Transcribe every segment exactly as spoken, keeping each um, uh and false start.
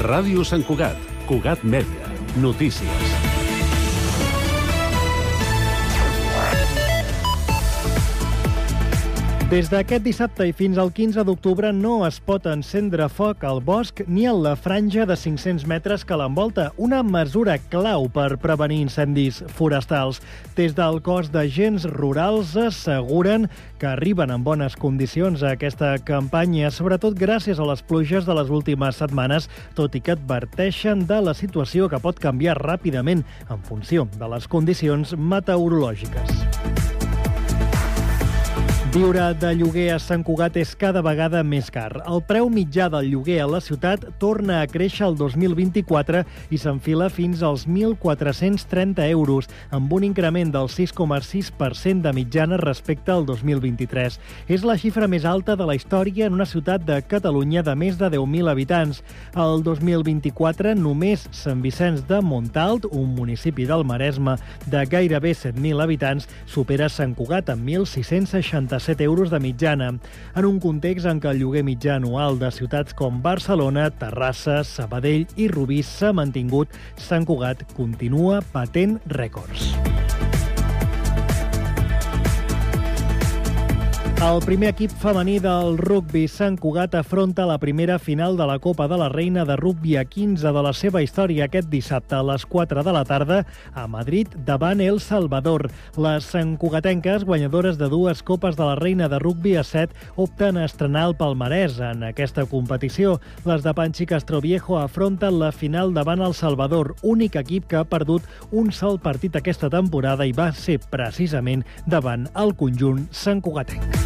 Ràdio Sant Cugat, Cugat Mèdia, notícies. Des d'aquest dissabte i fins al quinze d'octubre no es pot encendre foc al bosc ni a la franja de cinc-cents metres que l'envolta, una mesura clau per prevenir incendis forestals. Des del cos d'agents rurals asseguren que arriben en bones condicions a aquesta campanya, sobretot gràcies a les pluges de les últimes setmanes, tot i que adverteixen de la situació que pot canviar ràpidament en funció de les condicions meteorològiques. Viure de lloguer a Sant Cugat és cada vegada més car. El preu mitjà del lloguer a la ciutat torna a créixer el dos mil vint-i-quatre i s'enfila fins als mil quatre-cents trenta euros, amb un increment del sis coma sis per cent de mitjana respecte al dos mil vint-i-tres. És la xifra més alta de la història en una ciutat de Catalunya de més de deu mil habitants. El dos mil vint-i-quatre, només Sant Vicenç de Montalt, un municipi del Maresme de gairebé set mil habitants, supera Sant Cugat amb mil sis-cents seixanta-set euros de mitjana, en un context en què el lloguer mitjà anual de ciutats com Barcelona, Terrassa, Sabadell i Rubí s'ha mantingut, Sant Cugat continua batent rècords. El primer equip femení del rugbi Sant Cugat afronta la primera final de la Copa de la Reina de Rugbi a quinze de la seva història aquest dissabte a les quatre de la tarda a Madrid davant El Salvador. Les santcugatenques, guanyadores de dues Copes de la Reina de Rugbi a set, opten a estrenar el palmarès en aquesta competició. Les de Panchi Castroviejo afronten la final davant El Salvador, únic equip que ha perdut un sol partit aquesta temporada i va ser precisament davant el conjunt santcugatenc.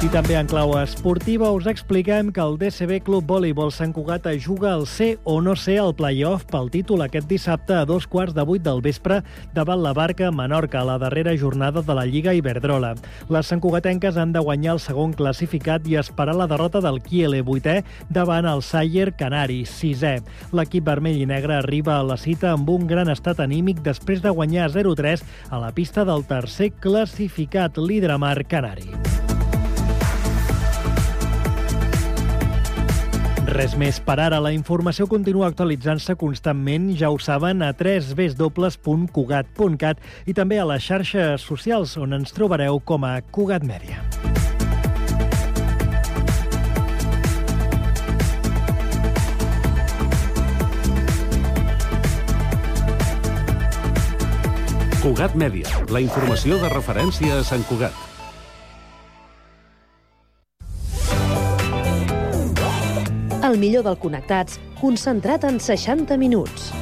I també en clau esportiva us expliquem que el D C B Club Voleibol Sant Cugat juga al ser o no ser al play-off pel títol aquest dissabte a dos quarts de vuit del vespre davant la Barca Menorca, a la darrera jornada de la Lliga Iberdrola. Les santcugatenques han de guanyar el segon classificat i esperar la derrota del Kiele, vuitè, davant el Sayer Canari, sisè. L'equip vermell i negre arriba a la cita amb un gran estat anímic després de guanyar zero tres a la pista del tercer classificat, l'Hidramar Canari. Res més per ara. La informació continua actualitzant-se constantment, ja ho saben, a w w w punt cugat punt cat i també a les xarxes socials, on ens trobareu com a Cugat Mèdia. Cugat Mèdia, la informació de referència a Sant Cugat. El millor del Connectats, concentrat en seixanta minuts.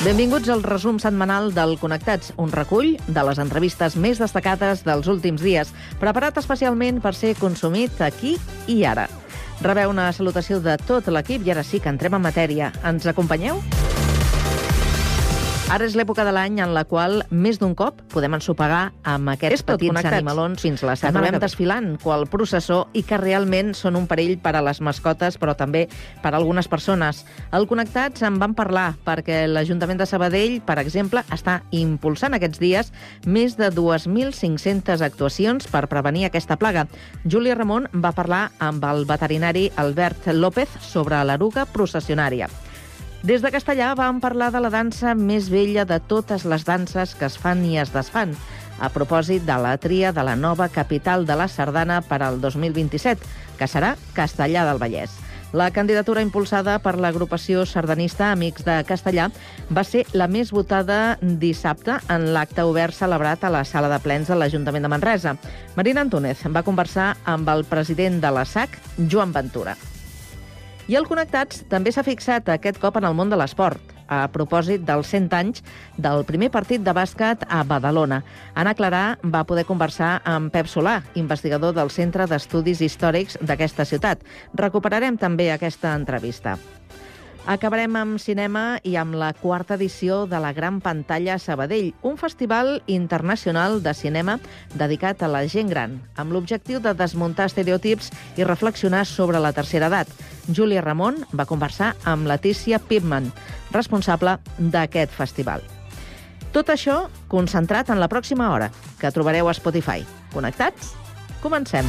Benvinguts al resum setmanal del Connectats, un recull de les entrevistes més destacades dels últims dies, preparat especialment per ser consumit aquí i ara. Rebeu una salutació de tot l'equip i ara sí que entrem en matèria. Ens acompanyeu? Ara és l'època de l'any en la qual més d'un cop podem ensopegar amb aquests petits animalons fins la setmana. Acabem desfilant qual processó i que realment són un perill per a les mascotes, però també per a algunes persones. Al Connectats en van parlar perquè l'Ajuntament de Sabadell, per exemple, està impulsant aquests dies més de dues mil cinc-centes actuacions per prevenir aquesta plaga. Júlia Ramon va parlar amb el veterinari Albert López sobre l'eruga processionària. Des de Castellà vam parlar de la dansa més vella de totes les danses que es fan i es desfan, a propòsit de la tria de la nova capital de la sardana per al dos mil vint-i-set, que serà Castellar del Vallès. La candidatura impulsada per l'agrupació sardanista Amics de Castellà va ser la més votada dissabte en l'acte obert celebrat a la sala de plens de l'Ajuntament de Manresa. Marina Antúnez va conversar amb el president de la S A C, Joan Ventura. I el Connectats també s'ha fixat aquest cop en el món de l'esport, a propòsit dels cent anys del primer partit de bàsquet a Badalona. Anna Clarà va poder conversar amb Pep Solà, investigador del Centre d'Estudis Històrics d'aquesta ciutat. Recuperarem també aquesta entrevista. Acabarem amb cinema i amb la quarta edició de la Gran Pantalla a Sabadell, un festival internacional de cinema dedicat a la gent gran, amb l'objectiu de desmuntar estereotips i reflexionar sobre la tercera edat. Júlia Ramon va conversar amb Letícia Pipman, responsable d'aquest festival. Tot això concentrat en la pròxima hora, que trobareu a Spotify. Connectats? Comencem.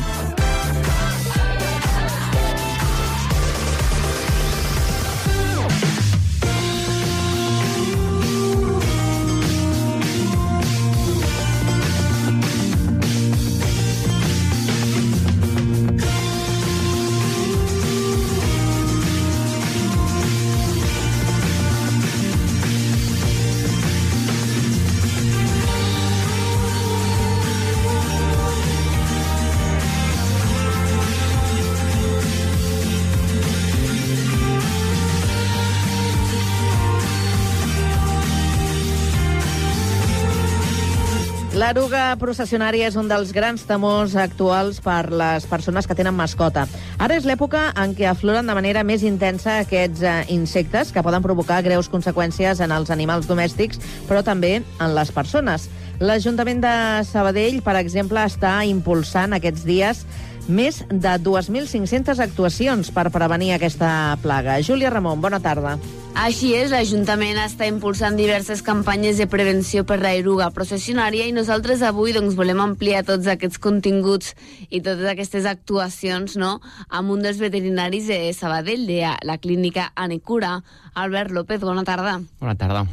L'eruga processionària és un dels grans temors actuals per les persones que tenen mascota. Ara és l'època en què afloren de manera més intensa aquests eh, insectes que poden provocar greus conseqüències en els animals domèstics, però també en les persones. L'Ajuntament de Sabadell, per exemple, està impulsant aquests dies més de dues mil cinc-centes actuacions per prevenir aquesta plaga. Júlia Ramon, bona tarda. Així és, l'Ajuntament està impulsant diverses campanyes de prevenció per la eruga processionària i nosaltres avui doncs, volem ampliar tots aquests continguts i totes aquestes actuacions, no?, amb un dels veterinaris de Sabadell, de la clínica Anecura. Albert López, bona tarda. Bona tarda.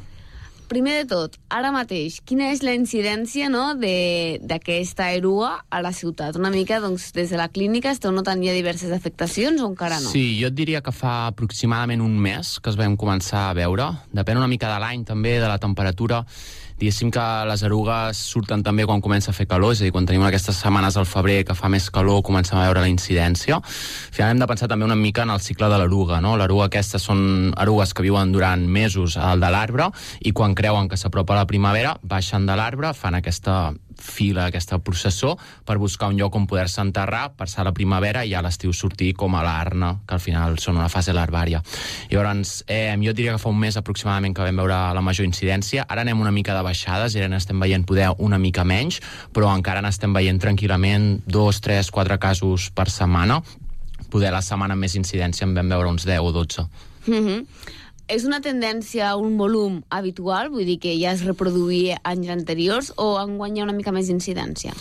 Primer de tot, ara mateix, quina és la incidència, no, d'aquesta eruga a la ciutat? Una mica, doncs, des de la clínica esteu notant ja diverses afectacions o encara no? Sí, jo et diria que fa aproximadament un mes que es vam començar a veure. Depèn una mica de l'any, també, de la temperatura. Diguéssim que les erugues surten també quan comença a fer calor, és a dir, quan tenim aquestes setmanes al febrer que fa més calor, comencem a veure la incidència. Al final hem de pensar també una mica en el cicle de l'eruga, no? L'eruga aquestes són erugues que viuen durant mesos al de l'arbre i quan creuen que s'apropa la primavera, baixen de l'arbre, fan aquesta fila, aquesta processó, per buscar un lloc on poder-se enterrar, passar la primavera i a l'estiu sortir com a l'arna, que al final són una fase larvària. Llavors, eh, jo diria que fa un mes aproximadament que vam veure la major incidència. Ara anem una mica de baixades, i ara n'estem veient poder una mica menys, però encara n'estem veient tranquil·lament dos, tres, quatre casos per setmana. Poder la setmana amb més incidència en vam veure uns deu o dotze. Mhm. És una tendència a un volum habitual? Vull dir que ja es reproduïa anys anteriors o enguany hi ha una mica més d'incidència?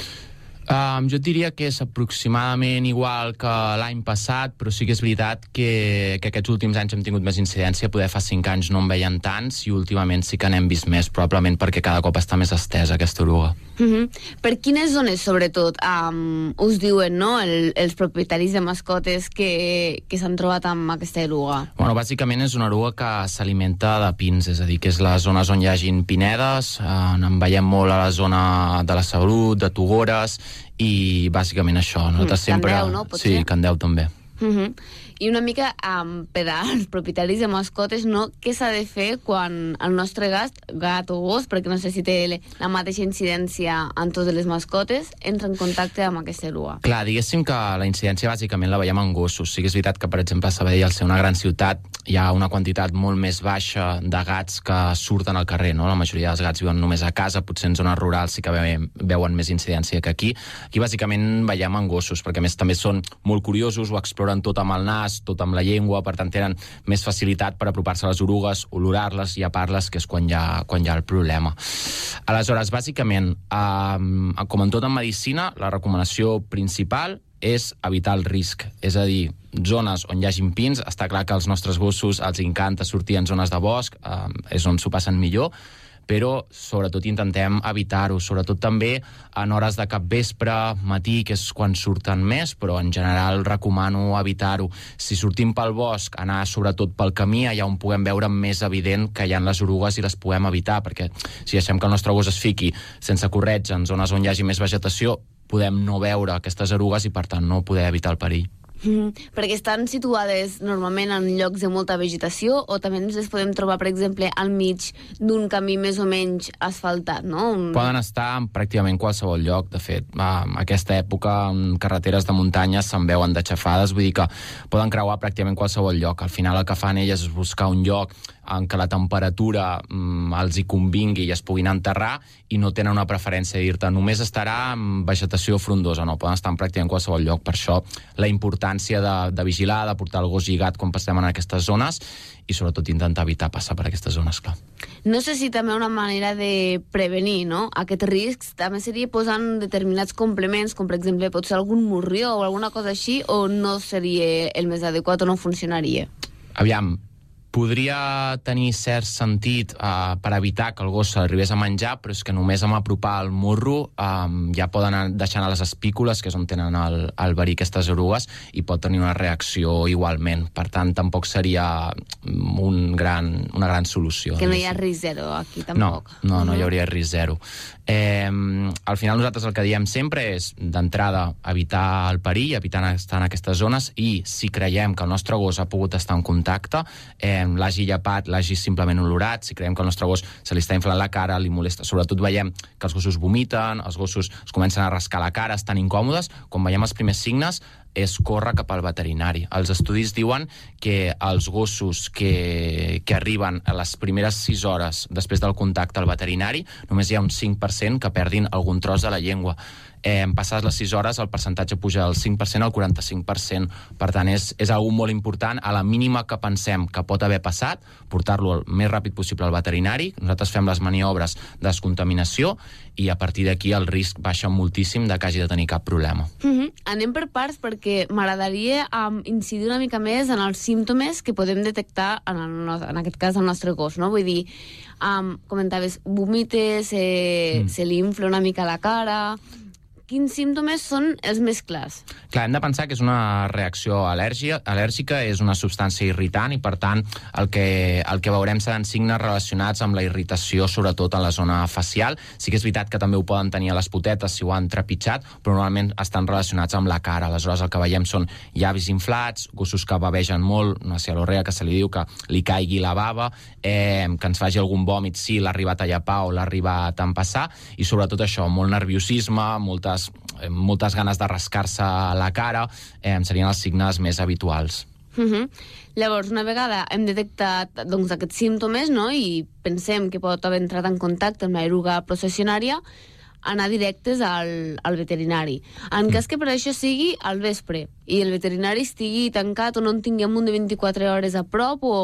Um, jo et diria que és aproximadament igual que l'any passat, però sí que és veritat que, que aquests últims anys hem tingut més incidència. Poder fa cinc anys no en veien tants i últimament sí que n'hem vist més, probablement perquè cada cop està més estesa aquesta eruga. Uh-huh. Per quines zones, sobretot, um, us diuen, no?, el, els propietaris de mascotes que, que s'han trobat amb aquesta eruga? Bueno, bàsicament és una eruga que s'alimenta de pins, és a dir, que és les zones on hi hagin pinedes, eh, en veiem molt a la zona de la Salut, de Togores, i bàsicament això. Nosaltres mm, sempre... Candeu, no? Potser? Sí, Candeu també. Uh-huh. I una mica um, per als propietaris de mascotes, no? Què s'ha de fer quan el nostre gat, gat o gos, perquè no sé si té la mateixa incidència en totes les mascotes, entra en contacte amb aquesta eruga? Clar, diguéssim que la incidència bàsicament la veiem en gossos. Sí que és veritat que, per exemple, a Sabadell, al ser una gran ciutat, hi ha una quantitat molt més baixa de gats que surten al carrer, no? La majoria dels gats viuen només a casa, potser en zones rurals sí que veuen, veuen més incidència que aquí. Aquí bàsicament veiem en gossos, perquè a més també són molt curiosos, ho exploren tot amb el nas, tot amb la llengua, per tant tenen més facilitat per apropar-se a les orugues, olorar-les i apar-les, que és quan hi ha, quan hi ha el problema. Aleshores, bàsicament, eh, com en tot en medicina, la recomanació principal és evitar el risc, és a dir, zones on hi hagin pins. Està clar que als nostres gossos els encanta sortir en zones de bosc, eh, és on s'ho passen millor, però sobretot intentem evitar-ho, sobretot també en hores de capvespre, matí, que és quan surten més, però en general recomano evitar-ho. Si sortim pel bosc, anar sobretot pel camí, allà on puguem veure més evident que hi ha les orugues i les puguem evitar, perquè si deixem que el nostre gos es fiqui sense corretja en zones on hi hagi més vegetació, podem no veure aquestes erugues i, per tant, no poder evitar el perill. Mm-hmm. Perquè estan situades normalment en llocs de molta vegetació o també ens les podem trobar, per exemple, al mig d'un camí més o menys asfaltat, no? Un... Poden estar en pràcticament qualsevol lloc. De fet, a aquesta època en carreteres de muntanya se'n veuen de xafades, vull dir que poden creuar pràcticament qualsevol lloc. Al final el que fan elles és buscar un lloc en què la temperatura mm, els hi convingui i es puguin enterrar i no tenen una preferència de dir-te només estarà en vegetació frondosa, no, poden estar en pràcticament qualsevol lloc. Per això la importància importància de, de vigilar, de portar el gos lligat quan passem en aquestes zones i sobretot intentar evitar passar per aquestes zones, clar. No sé si també una manera de prevenir, no?, aquests riscs també seria posant determinats complements, com per exemple pot ser algun morrió o alguna cosa així, o no seria el més adequat o no funcionaria? Aviam, podria tenir cert sentit uh, per evitar que el gos se l'arribés a menjar, però és que només amb apropar el morro um, ja poden anar deixant a les espícules, que és on tenen el, el verí aquestes erugues, i pot tenir una reacció igualment. Per tant, tampoc seria un gran, una gran solució. Que no hi ha risc zero aquí, tampoc. No, no, no hi hauria risc zero. Eh, al final nosaltres el que diem sempre és, d'entrada, evitar el perill, evitar estar en aquestes zones, i si creiem que el nostre gos ha pogut estar en contacte, eh, l'hagi llepat, l'hagi simplement olorat, si creiem que el nostre gos se li està inflant la cara, li molesta, sobretot veiem que els gossos vomiten, els gossos es comencen a rascar la cara, estan incòmodes, quan veiem els primers signes és córrer cap al veterinari. Els estudis diuen que els gossos que, que arriben a les primeres sis hores després del contacte al veterinari, només hi ha un cinc per cent que perdin algun tros de la llengua. Eh, passades les sis hores, el percentatge puja del cinc per cent al quaranta-cinc per cent. Per tant, és, és algo molt important. A la mínima que pensem que pot haver passat, portar-lo el més ràpid possible al veterinari. Nosaltres fem les maniobres de descontaminació i a partir d'aquí el risc baixa moltíssim de que hagi de tenir cap problema. Mm-hmm. Anem per parts perquè m'agradaria um, incidir una mica més en els símptomes que podem detectar en, el, en aquest cas el nostre gos, no? Vull dir, um, comentaves, vomites, eh, mm. se li infla una mica la cara. Quins símptomes són els més clars? Clar, hem de pensar que és una reacció al·lèrgia, al·lèrgica, és una substància irritant i, per tant, el que, el que veurem seran signes relacionats amb la irritació, sobretot a la zona facial. Sí que és veritat que també ho poden tenir a les potetes si ho han trepitjat, però normalment estan relacionats amb la cara. Aleshores, el que veiem són llavis inflats, gossos que bavegen molt, una cialorrea que se li diu que li caigui la bava, eh, que ens faci algun vòmit si l'ha arribat a llepar o l'ha arribat a empassar, i sobretot això, molt nerviosisme, moltes moltes ganes de rascar-se la cara, eh, serien els signes més habituals. Uh-huh. Llavors, una vegada hem detectat doncs, aquests símptomes, no?, i pensem que pot haver entrat en contacte amb l'eruga processionària, anar directes al, al veterinari. En cas que per això sigui al vespre i el veterinari estigui tancat o no en tinguem un de vint-i-quatre hores a prop o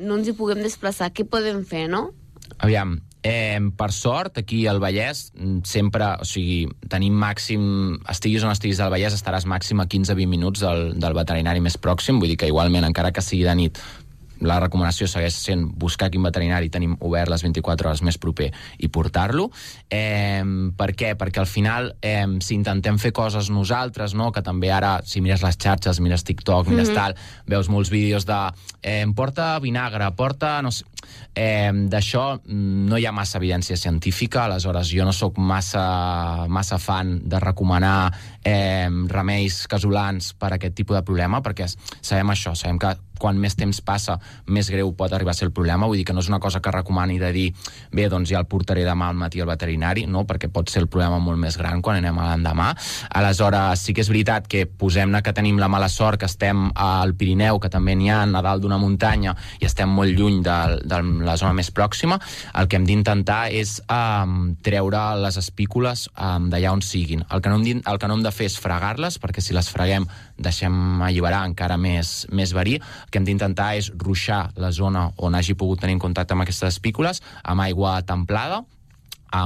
no ens hi puguem desplaçar, què podem fer, no? Aviam, Eh, per sort, aquí al Vallès sempre, o sigui, tenim màxim, estiguis on estiguis al Vallès, estaràs màxim a quinze a vint minuts del, del veterinari més pròxim, vull dir que igualment, encara que sigui de nit, la recomanació segueix sent buscar quin veterinari tenim obert les vint-i-quatre hores més proper i portar-lo. Eh, per què? Perquè al final, eh, si intentem fer coses nosaltres, no? Que també ara, si mires les xarxes, mires TikTok, mires mm-hmm. tal, veus molts vídeos de eh, porta vinagre, porta... no sé, eh, d'això no hi ha massa evidència científica, aleshores jo no sóc massa, massa fan de recomanar eh, remeis casolans per a aquest tipus de problema, perquè sabem això, sabem que quan més temps passa, més greu pot arribar a ser el problema. Vull dir que no és una cosa que recomani de dir bé, doncs ja el portaré demà al matí al veterinari, no? Perquè pot ser el problema molt més gran quan anem a l'endemà. Aleshores, sí que és veritat que posem-ne que tenim la mala sort, que estem al Pirineu, que també n'hi ha a dalt d'una muntanya, i estem molt lluny de, de la zona més pròxima, el que hem d'intentar és um, treure les espícules um, d'allà on siguin. El que, no hem, el que no hem de fer és fregar-les, perquè si les freguem deixem alliberar encara més, més verí. El que hem d'intentar és ruixar la zona on hagi pogut tenir contacte amb aquestes espícules amb aigua templada,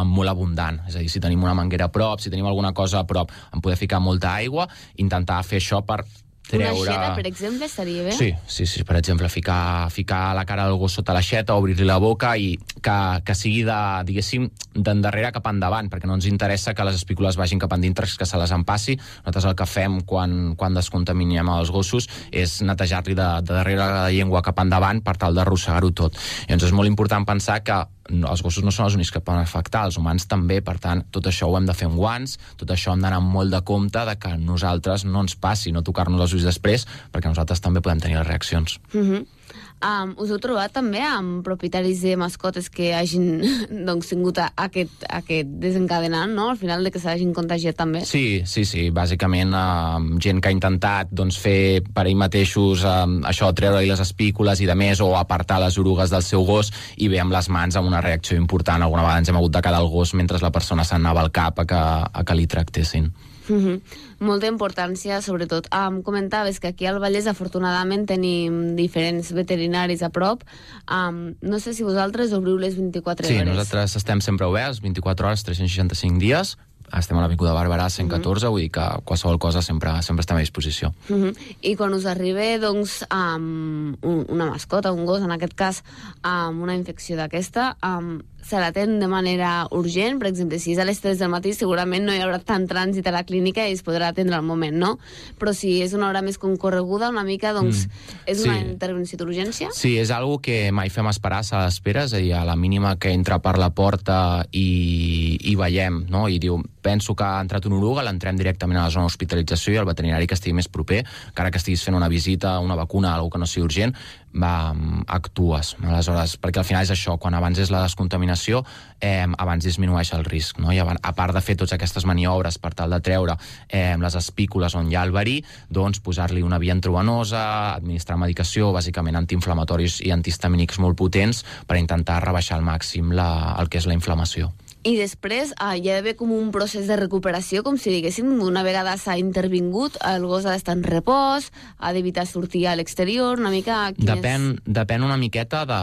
molt abundant. És a dir, si tenim una manguera a prop, si tenim alguna cosa a prop, en poder ficar molta aigua, intentar fer això per treure... Una aixeta, per exemple, estaria bé? Sí, sí, sí, per exemple, ficar, ficar la cara del gos sota l'aixeta, obrir-li la boca i que, que sigui de, diguéssim, d'endarrere cap endavant, perquè no ens interessa que les espícules vagin cap endintre, que se les empassi. Nosaltres el que fem quan, quan descontaminem els gossos és netejar-li de, de darrere la llengua cap endavant per tal d'arrossegar-ho tot. Llavors és molt important pensar que no, els gossos no són els únics que poden afectar, els humans també, per tant, tot això ho hem de fer amb guants, tot això hem d'anar molt de compte de que nosaltres no ens passi, no tocar-nos els ulls després, perquè nosaltres també podem tenir les reaccions. Mm-hmm. Um, us heu trobat també amb propietaris de mascotes que hagin doncs, tingut aquest, aquest desencadenant, no? Al final de que s'hagin contagiat també? Sí, sí, sí. Bàsicament, uh, gent que ha intentat doncs, fer per ell mateixos uh, això, treure-li les espícules i de més, o apartar les orugues del seu gos, i ve amb les mans amb una reacció important. Alguna vegada ens hem hagut de quedar el gos mentre la persona s'anava al cap a que, a que li tractessin. Mm-hmm. Molta importància, sobretot. Um, comentaves que aquí al Vallès afortunadament tenim diferents veterinaris a prop. Um, no sé si vosaltres obriu les vint-i-quatre sí, hores. Sí, nosaltres estem sempre oberts, vint-i-quatre hores, tres-cents seixanta-cinc dies. Estem a l'Avinguda Barberà cent catorze, mm-hmm. vull dir que qualsevol cosa sempre, sempre estem a disposició. Mm-hmm. I quan us arriba, doncs, um, una mascota, un gos, en aquest cas, amb um, una infecció d'aquesta, um, se l'atén de manera urgent? Per exemple, si és a les tres del matí, segurament no hi haurà tant trànsit a la clínica i es podrà atendre al moment, no? Però si és una hora més concorreguda, una mica, doncs, mm. és una sí. intervenció d'urgència? Sí, és algo que mai fem esperar a l'espera, és a dir, a la mínima que entra per la porta i, i veiem, no? I diu, penso que ha entrat un oruga, l'entrem directament a la zona d'hospitalització i el veterinari que estigui més proper, encara que estiguis fent una visita, una vacuna, alguna que no sigui urgent, va, actues. Aleshores, perquè al final és això, quan abans és la descontaminació, eh, abans disminueix el risc, no? I abans, a part de fer totes aquestes maniobres per tal de treure eh, les espícules on hi ha el verí, doncs posar-li una via intravenosa, administrar medicació, bàsicament antiinflamatoris i antihistamínics molt potents per intentar rebaixar al màxim la, el que és la inflamació. I després uh, hi ha d'haver com un procés de recuperació, com si diguéssim, una vegada s'ha intervingut, el gos ha d'estar en repòs, ha d'evitar sortir a l'exterior, una mica... Depèn, és... depèn una miqueta, de,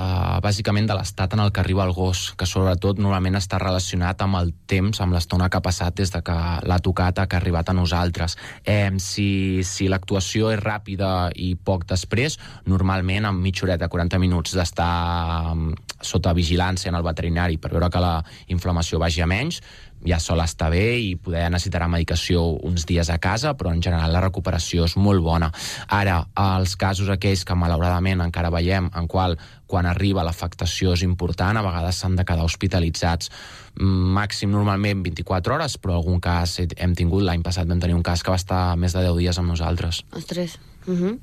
bàsicament, de l'estat en el que arriba el gos, que sobretot normalment està relacionat amb el temps, amb l'estona que ha passat des de que l'ha tocat a que ha arribat a nosaltres. Eh, si si l'actuació és ràpida i poc després, normalment en mitja horeta, quaranta minuts d'estar sota vigilància en el veterinari per veure que la inflamació vagi a menys, ja sol estar bé i poder necessitarà medicació uns dies a casa, però en general la recuperació és molt bona. Ara, els casos aquells que malauradament encara veiem en qual quan arriba l'afectació és important, a vegades s'han de quedar hospitalitzats màxim normalment vint-i-quatre hores, però algun cas hem tingut, l'any passat vam tenir un cas que va estar més de deu dies amb nosaltres. Ostres. Uh-huh.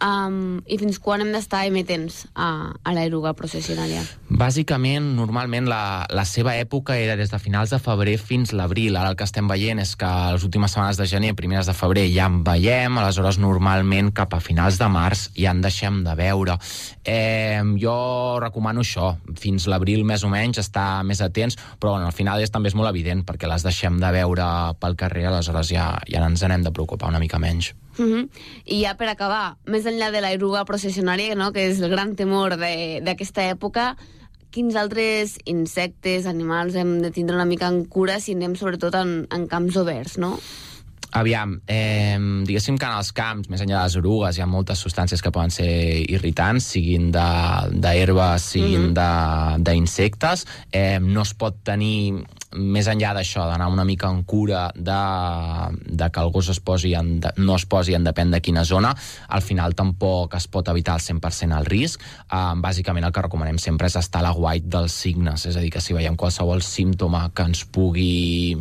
Um, I fins quan hem d'estar emetents a, a l'eruga processionària? Bàsicament, normalment la, la seva època era des de finals de febrer fins l'abril. Ara el que estem veient és que les últimes setmanes de gener, primeres de febrer ja en veiem, aleshores normalment cap a finals de març ja en deixem de veure. Eh, jo recomano això, fins l'abril més o menys estar més atents, però bueno, al final és, també és molt evident perquè les deixem de veure pel carrer, aleshores ja, ja ens n'hem de preocupar una mica menys. Uh-huh. I ja per acabar, més enllà de l'eruga processionària, no?, que és el gran temor d'aquesta època, quins altres insectes, animals hem de tindre una mica en cura si anem sobretot en, en camps oberts, no? Aviam, eh, diguéssim que en els camps, més enllà de les orugues, hi ha moltes substàncies que poden ser irritants, siguin d'herbes, siguin mm-hmm. d'insectes. Eh, no es pot tenir, més enllà d'això, d'anar una mica en cura de, de que el gos es posi en, de, no es posi en depèn de quina zona, al final tampoc es pot evitar al cent per cent el risc. Eh, bàsicament el que recomanem sempre és estar a l'aguait dels signes, és a dir, que si veiem qualsevol símptoma que ens pugui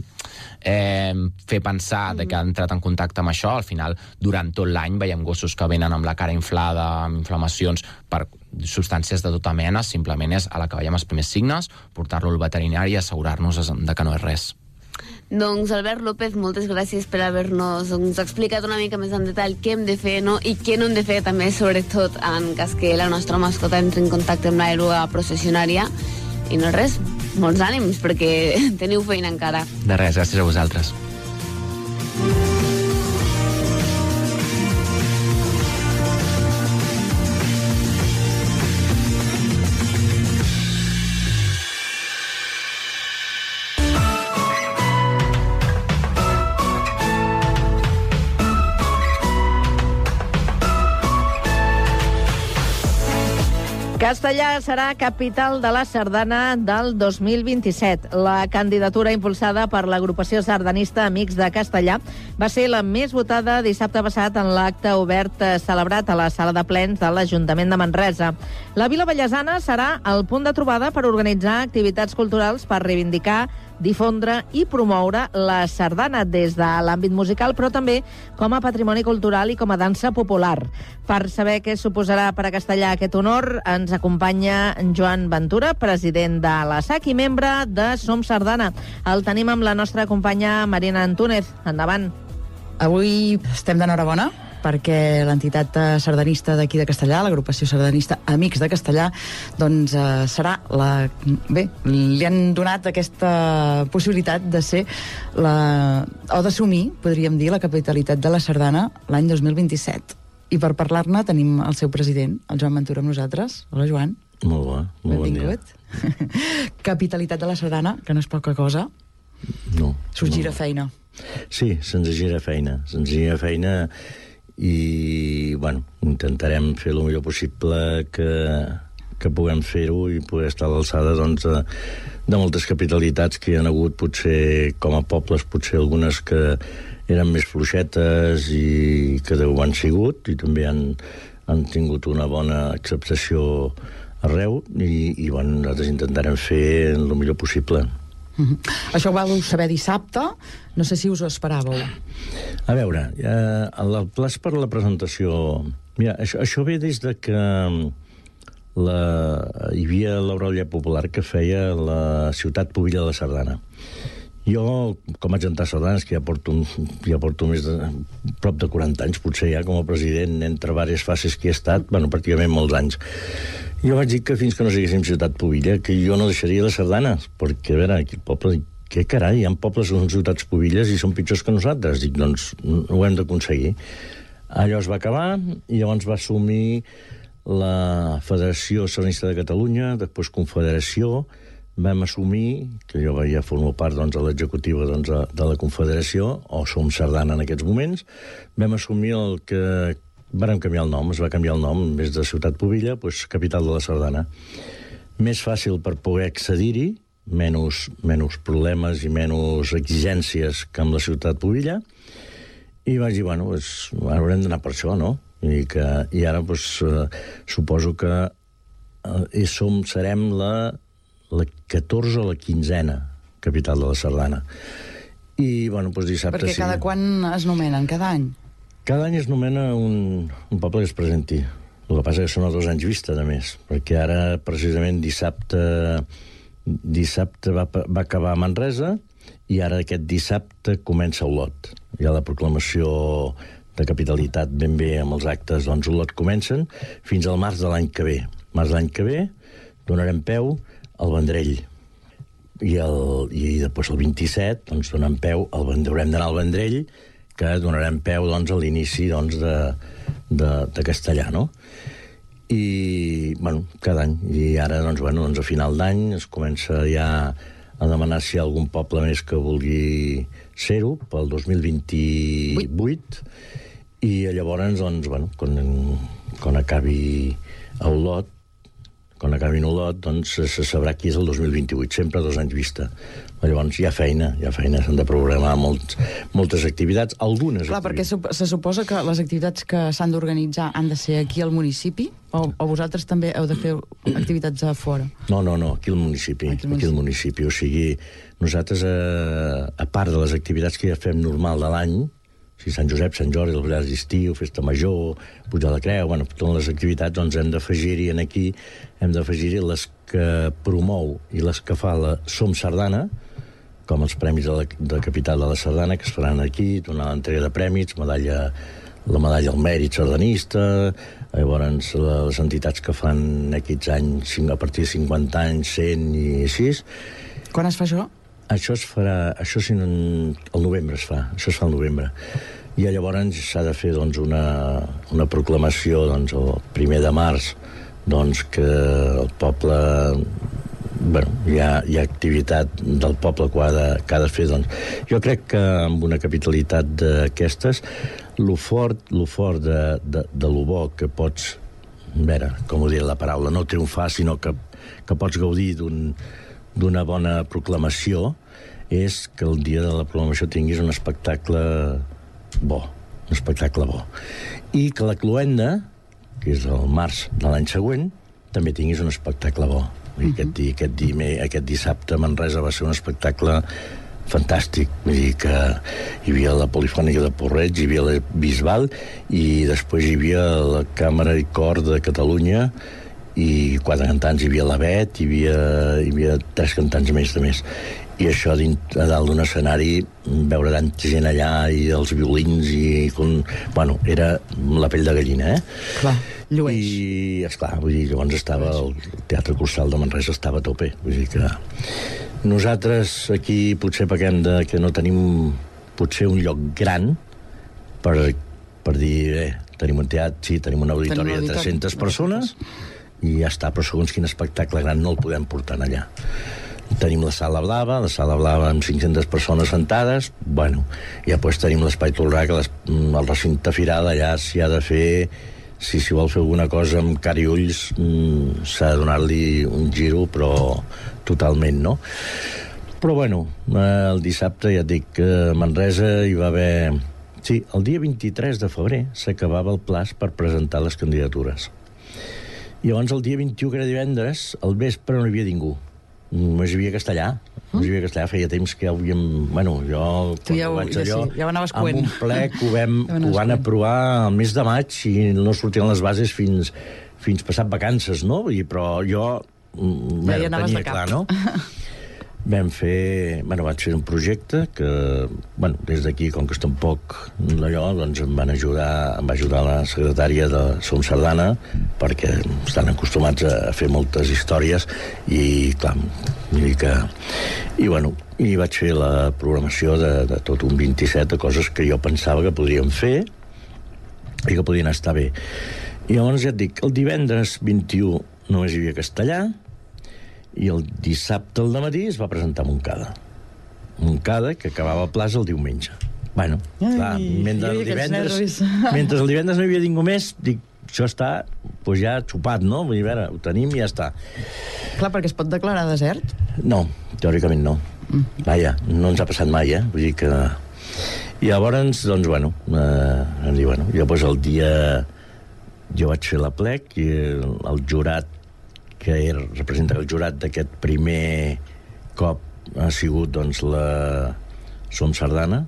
eh, fer pensar de que ha entrat en contacte amb això, al final durant tot l'any veiem gossos que venen amb la cara inflada, amb inflamacions per substàncies de tota mena, simplement és a la que veiem els primers signes, portar-lo al veterinari i assegurar-nos de que no és res. Doncs Albert López, moltes gràcies per haver-nos doncs, explicat una mica més en detall què hem de fer, no?, i què no hem de fer també, sobretot en cas que la nostra mascota entri en contacte amb l'eruga processionària. I no res, molts ànims, perquè teniu feina encara. De res, gràcies a vosaltres. Castellà serà capital de la sardana del dos mil vint-i-set. La candidatura impulsada per l'agrupació sardanista Amics de Castellà va ser la més votada dissabte passat en l'acte obert celebrat a la sala de plens de l'Ajuntament de Manresa. La Vila Vallesana serà el punt de trobada per organitzar activitats culturals per reivindicar, difondre i promoure la sardana des de l'àmbit musical, però també com a patrimoni cultural i com a dansa popular. Per saber què suposarà per a Castellà aquest honor, ens acompanya Joan Ventura, president de la S A C i membre de Som Sardana. El tenim amb la nostra companya Marina Antúnez. Endavant. Avui estem d'enhorabona perquè l'entitat sardanista d'aquí de Castellà, l'agrupació sardanista Amics de Castellà, doncs eh, serà la... Bé, li han donat aquesta possibilitat de ser la... o d'assumir, podríem dir, la capitalitat de la sardana l'any dos mil vint-i-set. I per parlar-ne tenim el seu president, el Joan Ventura, amb nosaltres. Hola, Joan. Molt bo, molt bon dia. Capitalitat de la sardana, que no és poca cosa. No. S'us gira no. feina. Sí, se'ns gira feina. Se'ns gira feina i, bueno, intentarem fer el millor possible que, que puguem fer-ho i poder estar a l'alçada, doncs, de, de moltes capitalitats que hi ha hagut, potser com a pobles, potser algunes que eren més fluixetes i que ho han sigut i també han, han tingut una bona acceptació arreu i, i bueno, nosaltres intentarem fer el millor possible. Mm-hmm. Això ho vau saber dissabte, no sé si us ho esperàveu. A veure, eh, el pla per la presentació... Mira, això, això ve des de que la, hi havia l'Aurèlia Popular que feia la Ciutat Pubilla de la Sardana. Jo, com a gentar sardanes, que ja porto, ja porto més de prop de quaranta anys, potser ja com a president, entre diverses fases que he estat, bueno, pràcticament molts anys. Jo vaig dir que fins que no siguéssim Ciutat Pubilla, que jo no deixaria les sardanes, perquè, a veure, aquí el poble, què carai, hi ha pobles que són ciutats pubilles i són pitjors que nosaltres. Dic, doncs, ho hem d'aconseguir. Allò es va acabar i llavors va assumir la Federació Sardanista de Catalunya, després Confederació. Vam assumir, que jo ja formo part doncs, de l'executiva doncs, de la Confederació, o som Sardana en aquests moments, vam assumir el que... Vàrem canviar el nom, es va canviar el nom, en vez de Ciutat Pubilla, doncs Capital de la Sardana. Més fàcil per poder accedir-hi, menys, menys problemes i menys exigències que amb la Ciutat Pubilla, i vaig dir, bueno, doncs, haurem d'anar per això, no? I, que, i ara doncs, eh, suposo que eh, som, serem la... la catorze o la quinzena capital de la Sardana. I, bueno, doncs dissabte... Perquè cada sí. quan es nomenen? Cada any? Cada any es nomena un, un poble que es presenti. El que passa que són a dos anys vista, a més, perquè ara, precisament, dissabte dissabte va, va acabar a Manresa i ara aquest dissabte comença Olot. Hi ha la proclamació de capitalitat ben bé amb els actes, doncs Olot comencen fins al març de l'any que ve. Març de l'any que ve donarem peu al Vendrell. I, el, i després el vint-i-set doncs, donem peu, al, haurem d'anar al Vendrell, que donarem peu doncs, a l'inici doncs, de, de, de Castellà, no? I, bueno, cada any. I ara, doncs, bueno, doncs, a final d'any es comença ja a demanar si hi ha algun poble més que vulgui ser-ho pel dos mil vint-i-vuit. I llavors, doncs, bueno, quan, quan acabi a Olot, quan acabi Olot, doncs se sabrà qui és el dos mil vint-i-vuit, sempre a dos anys vista. Llavors hi ha feina, hi ha feina, s'han de programar molts, moltes activitats, algunes Clar, activitats. perquè se suposa que les activitats que s'han d'organitzar han de ser aquí al municipi, o, o vosaltres també heu de fer activitats a fora? No, no, no, aquí al municipi, aquí al municipi. Aquí al municipi. O sigui, nosaltres, a, a part de les activitats que ja fem normal de l'any, o sigui, Sant Josep, Sant Jordi, els ballars d'estiu, Festa Major, Pujar la Creu, bueno, totes les activitats, doncs hem d'afegir-hi en aquí, hem d'afegir-hi les que promou i les que fa la Som Sardana, com els premis de la de Capital de la Sardana, que es faran aquí, donar l'entrega de premis, medalla, la medalla al mèrit sardanista, llavors les entitats que fan aquests anys, a partir de cinquanta anys, cent i així. Quan es fa això? Això es farà, això sí, al novembre es fa, això es fa al novembre. I llavors s'ha de fer doncs, una, una proclamació doncs, el primer de març doncs, que el poble... Bueno, hi ha, hi ha activitat del poble que ha de, que ha de fer. Doncs. Jo crec que amb una capitalitat d'aquestes, lo fort, lo fort de, de, de lo bo que pots, a veure, com ho diré la paraula, no triomfar, sinó que, que pots gaudir d'un d'una bona proclamació, és que el dia de la proclamació tinguis un espectacle bo, un espectacle bo. I que la cloenda, que és el març de l'any següent, també tinguis un espectacle bo. Uh-huh. Aquest, dia, aquest, dia, aquest dissabte a Manresa va ser un espectacle fantàstic. Vull dir que hi havia la Polifònica de Porreig, hi havia la Bisbal, i després hi havia la Càmera i Cor de Catalunya, i quatre cantants, hi havia la Bet, hi havia, hi havia tres cantants més de més. i això a dalt d'un escenari, veure tanta gent allà i els violins i... Com, bueno, era la pell de gallina, eh? Clar, llueix. I, esclar, vull dir, llavors estava el Teatre Costal de Manresa estava a tope. Vull dir que nosaltres aquí potser pequem de que no tenim potser un lloc gran per, per dir, eh, tenim un teatre, sí, tenim un auditori de tres-centes persones i ja està, però segons quin espectacle gran no el podem portar allà. Tenim la sala blava, la sala blava amb cinc-centes persones sentades, bueno, i després tenim l'espai Tolrà, que les, el recinte firal allà s'hi ha de fer, si s'hi vol fer alguna cosa amb cara i ulls, s'ha de donar-li un giro, però totalment, no? Però bueno, el dissabte, ja et dic, a Manresa hi va haver... Sí, el dia vint-i-tres de febrer s'acabava el plaç per presentar les candidatures. I llavors el dia vint-i-u, que era divendres, al vespre no hi havia ningú. Només hi havia castellà. Només hi havia castellà. Feia temps que ja ho havíem... Bueno, jo, quan ja ho, vaig ja allò, sí, ja ho anaves amb coent. un plec ho, vam, ja ho van aprovar al mes de maig i no sortien les bases fins, fins passat vacances, no? I, però jo ja bueno, ja anaves tenia de cap. clar, no? Vam fer... Bueno, vaig fer un projecte que, bueno, des d'aquí, com que està un poc d'allò, doncs em van ajudar, em va ajudar la secretària de Som Sardana, perquè estan acostumats a fer moltes històries, i, clar, vull dir que... I, bueno, i vaig fer la programació de, de tot un vint-i-set de coses que jo pensava que podríem fer i que podien estar bé. I llavors, ja et dic, el divendres vint-i-u només hi havia castellà, i el dissabte al dematí es va presentar Montcada. Montcada, que acabava a plaça el diumenge. Bueno, Ai, clar, mentre el, divendres, mentre el divendres no hi havia ningú més, dic, això està pues ja xupat, no? Vull dir, a veure, ho tenim i ja està. Clar, perquè es pot declarar desert? No, teòricament no. Mm. Vaja, no ens ha passat mai, eh? Vull dir que... I llavors, doncs, bueno, eh, em diu, bueno, jo pues, el dia... Jo vaig fer la plec i el, el jurat que era, representa el jurat d'aquest primer cop ha sigut doncs la Som Sardana,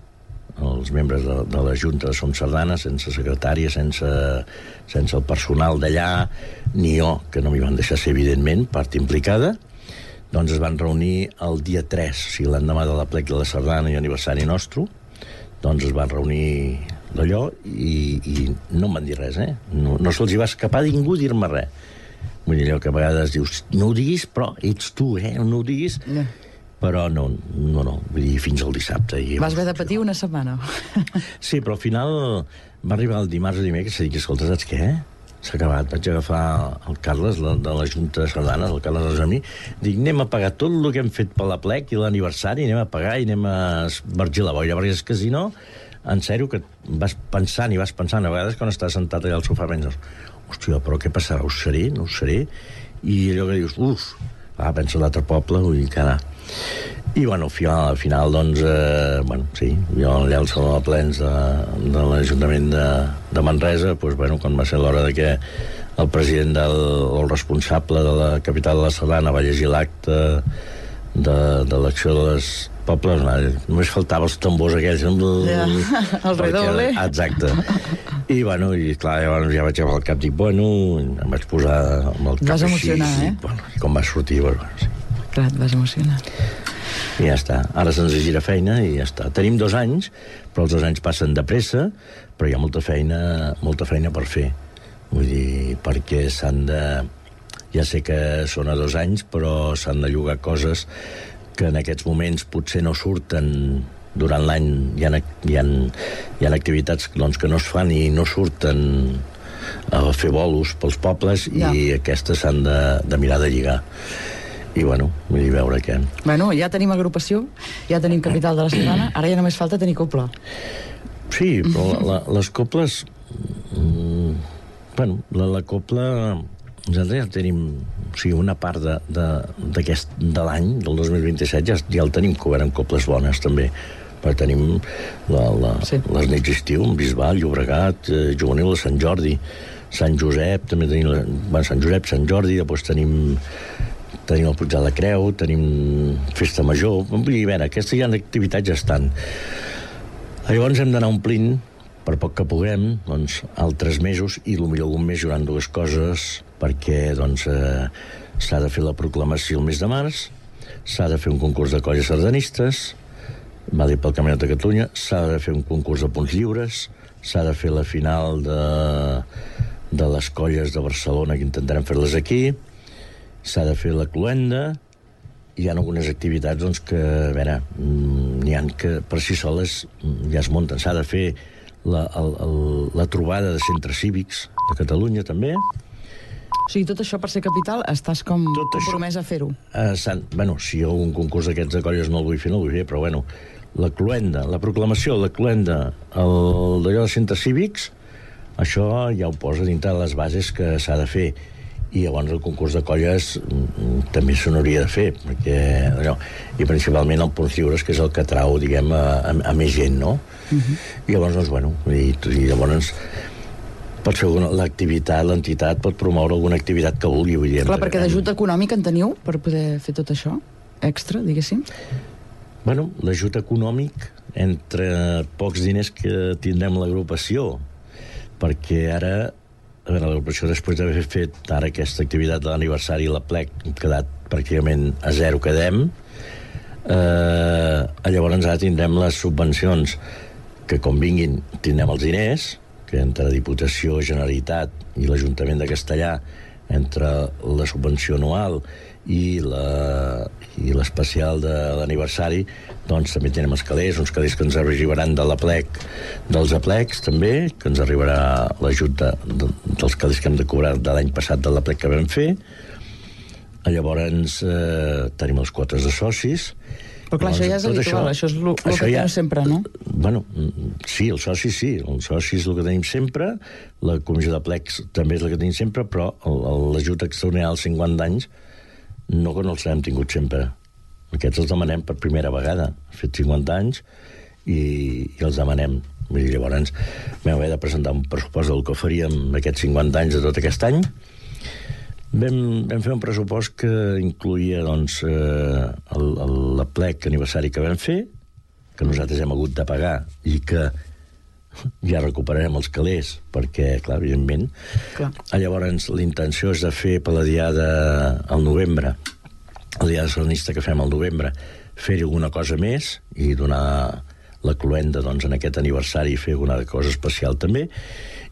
els membres de, de la Junta de Som Sardana, sense secretària, sense, sense el personal d'allà, ni jo, que no m'hi van deixar ser, evidentment, part implicada, doncs es van reunir el dia tres, o sigui, l'endemà de la plec de la Sardana i aniversari nostre, doncs es van reunir d'allò i, i no em van dir res, eh? No, no se'ls hi va escapar a ningú dir-me res. Vull dir, allò que a vegades dius, no ho diguis, però ets tu, eh? No ho diguis. Yeah. Però no, no, no. Vull dir, fins al dissabte. I vas haver de patir una setmana. Sí, però al final va arribar el dimarts o dimecres i dic, escolta, saps què? S'ha acabat. Vaig agafar el Carles, la, de la Junta de Sardana, el Carles Argemí, dic, anem a pagar tot el que hem fet per la plec i l'aniversari, anem a pagar i anem a esvergir la boira, perquè és que si no, en sèrio, que vas pensant i vas pensant, a vegades quan estàs sentat allà al sofà penses, hòstia, però què passarà? Ho seré? No ho seré? I allò que dius, uf, va, pensa l'altre poble, vull dir que anar. I, bueno, al final, al final doncs, eh, bueno, sí, jo allà al Saló de Plens de, de l'Ajuntament de, de Manresa, doncs, bueno, quan va ser l'hora de que el president del, o el responsable de la capital de la Sardana va llegir l'acte de, de l'acció de les pobles, no, només faltava els tambors aquells. Ja, el redoble. Exacte. I, bueno, i clar, llavors ja vaig agafar el cap, dic, bueno, em vaig posar amb el cap vas així. Emocionar, eh? I, bueno, i com va sortir, bueno, sí. Clar, et vas emocionar. I ja està. Ara se'ns gira feina i ja està. Tenim dos anys, però els dos anys passen de pressa, però hi ha molta feina, molta feina per fer. Vull dir, perquè s'han de... Ja sé que són a dos anys, però s'han de llogar coses que en aquests moments potser no surten durant l'any. Hi ha, hi ha, hi ha activitats doncs, que no es fan i no surten a fer bolos pels pobles ja. I aquestes s'han de, de mirar de lligar. I, bueno, vull dir, veure què... Bueno, ja tenim agrupació, ja tenim capital de la Sardana, ara ja només falta tenir copla. Sí, però la, la, les coples... Mm, bueno, la, la copla... Nosaltres ja tenim... O sigui, una part de, de, d'aquest, de l'any, del dos mil vint-i-set, ja, ja el tenim cobert amb coples bones, també. Perquè tenim la, la, sí. les nits d'estiu, Bisbal, Llobregat, eh, Juvenil de Sant Jordi, Sant Josep, també tenim... La, bueno, Sant Josep, Sant Jordi, després tenim... tenim el Puig de la Creu, tenim Festa Major, vull dir, a veure, aquestes ja activitats ja estan. Llavors hem d'anar omplint, per poc que puguem, doncs, altres mesos, i potser algun mes hi haurà dues coses, perquè doncs, eh, s'ha de fer la proclamació el mes de març, s'ha de fer un concurs de colles sardanistes, vale, pel Campionat de Catalunya, s'ha de fer un concurs de punts lliures, s'ha de fer la final de, de les colles de Barcelona, que intentarem fer-les aquí, s'ha de fer la cloenda. Hi ha algunes activitats doncs, que, a veure, n'hi ha que per si soles ja es munten. S'ha de fer la, el, el, la trobada de centres cívics de Catalunya, també. O sigui, tot això per ser capital estàs com tot compromès això, a fer-ho? Uh, bueno, si jo un concurs d'aquests de colles no el vull fer, no el vull fer, però bueno, la cloenda, la proclamació, la cloenda, el d'allò de centres cívics, això ja ho posa dintre de les bases que s'ha de fer. I llavors el concurs de colles també se n'hauria de fer, perquè allò, i principalment el punts lliures, que és el que trau, diguem, a, a, a més gent, no? Uh-huh. I llavors, doncs, bueno, i, i llavors pot fer l'activitat, l'entitat pot promoure alguna activitat que vulgui. Vull dir, clar, perquè d'ajut econòmic en teniu per poder fer tot això? Extra, diguéssim? Bueno, l'ajut econòmic, entre pocs diners que tindrem l'agrupació, perquè ara a veure, l'agrupació, després d'haver fet ara aquesta activitat de l'aniversari i la plec, hem quedat pràcticament a zero, quedem. Eh, llavors ara tindrem les subvencions, que com vinguin tindrem els diners, que entre Diputació, Generalitat i l'Ajuntament de Castellà, entre la subvenció anual i la i l'especial de l'aniversari, doncs també tenim els calés, uns calés que ens arribaran de la plec, dels aplecs també, que ens arribarà l'ajut de, de, dels calés que hem de cobrar de l'any passat de la plec que vam fer. Llavors eh, tenim les quotes de socis. Però clar, llavors, això ja és habitual, això, això és el que ja, tenim sempre, no? Bueno, sí, els socis sí, els socis és el que tenim sempre, la comissió de plecs també és la que tenim sempre, però l'ajut extraordinari als cinquanta anys no que no els hem tingut sempre. Aquests els demanem per primera vegada. Ha fet cinquanta anys i, i els demanem. Vull dir, llavors vam haver de presentar un pressupost del que faríem aquests cinquanta anys de tot aquest any. Vam, vam fer un pressupost que incluïa doncs, eh, el, el, la plec aniversari que vam fer, que nosaltres hem hagut de pagar i que ja recuperarem els calés, perquè, clar, evidentment. Clar. Llavors, la intenció és de fer per la diada al novembre, la diada sardanista que fem al novembre, fer-hi alguna cosa més i donar la cloenda doncs, en aquest aniversari i fer alguna cosa especial també.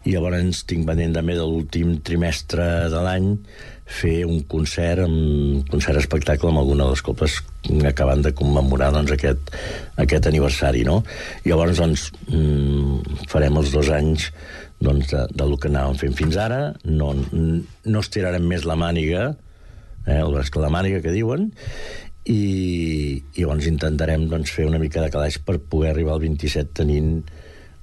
I llavors tinc pendent també de l'últim trimestre de l'any fer un concert, un concert espectacle amb alguna de les coples acabant de commemorar doncs, aquest, aquest aniversari, no? I llavors doncs, farem els dos anys doncs, de, del que anàvem fent fins ara, no, no estirarem més la màniga, eh, el braç que la màniga que diuen, i, i llavors intentarem doncs, fer una mica de calaix per poder arribar al vint-i-set tenint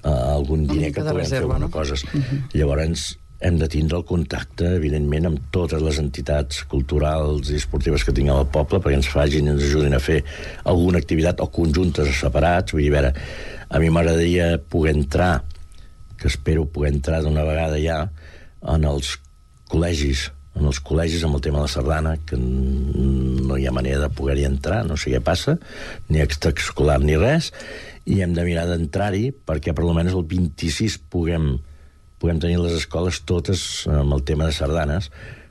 Uh, algun diner que puguem fer alguna no? cosa. Uh-huh. Llavors hem de tindre el contacte, evidentment, amb totes les entitats culturals i esportives que tinguem al poble perquè ens facin i ens ajudin a fer alguna activitat o conjuntes o separats. Vull dir, a veure, a mi m'agradaria poder entrar, que espero poder entrar d'una vegada ja, en els col·legis, en els col·legis amb el tema de la sardana, que no hi ha manera de poder-hi entrar, no sé què passa, ni extraescolar ni res, i hem de mirar d'entrar-hi perquè per almenys el vint-i-sis puguem, puguem tenir les escoles totes amb el tema de sardanes.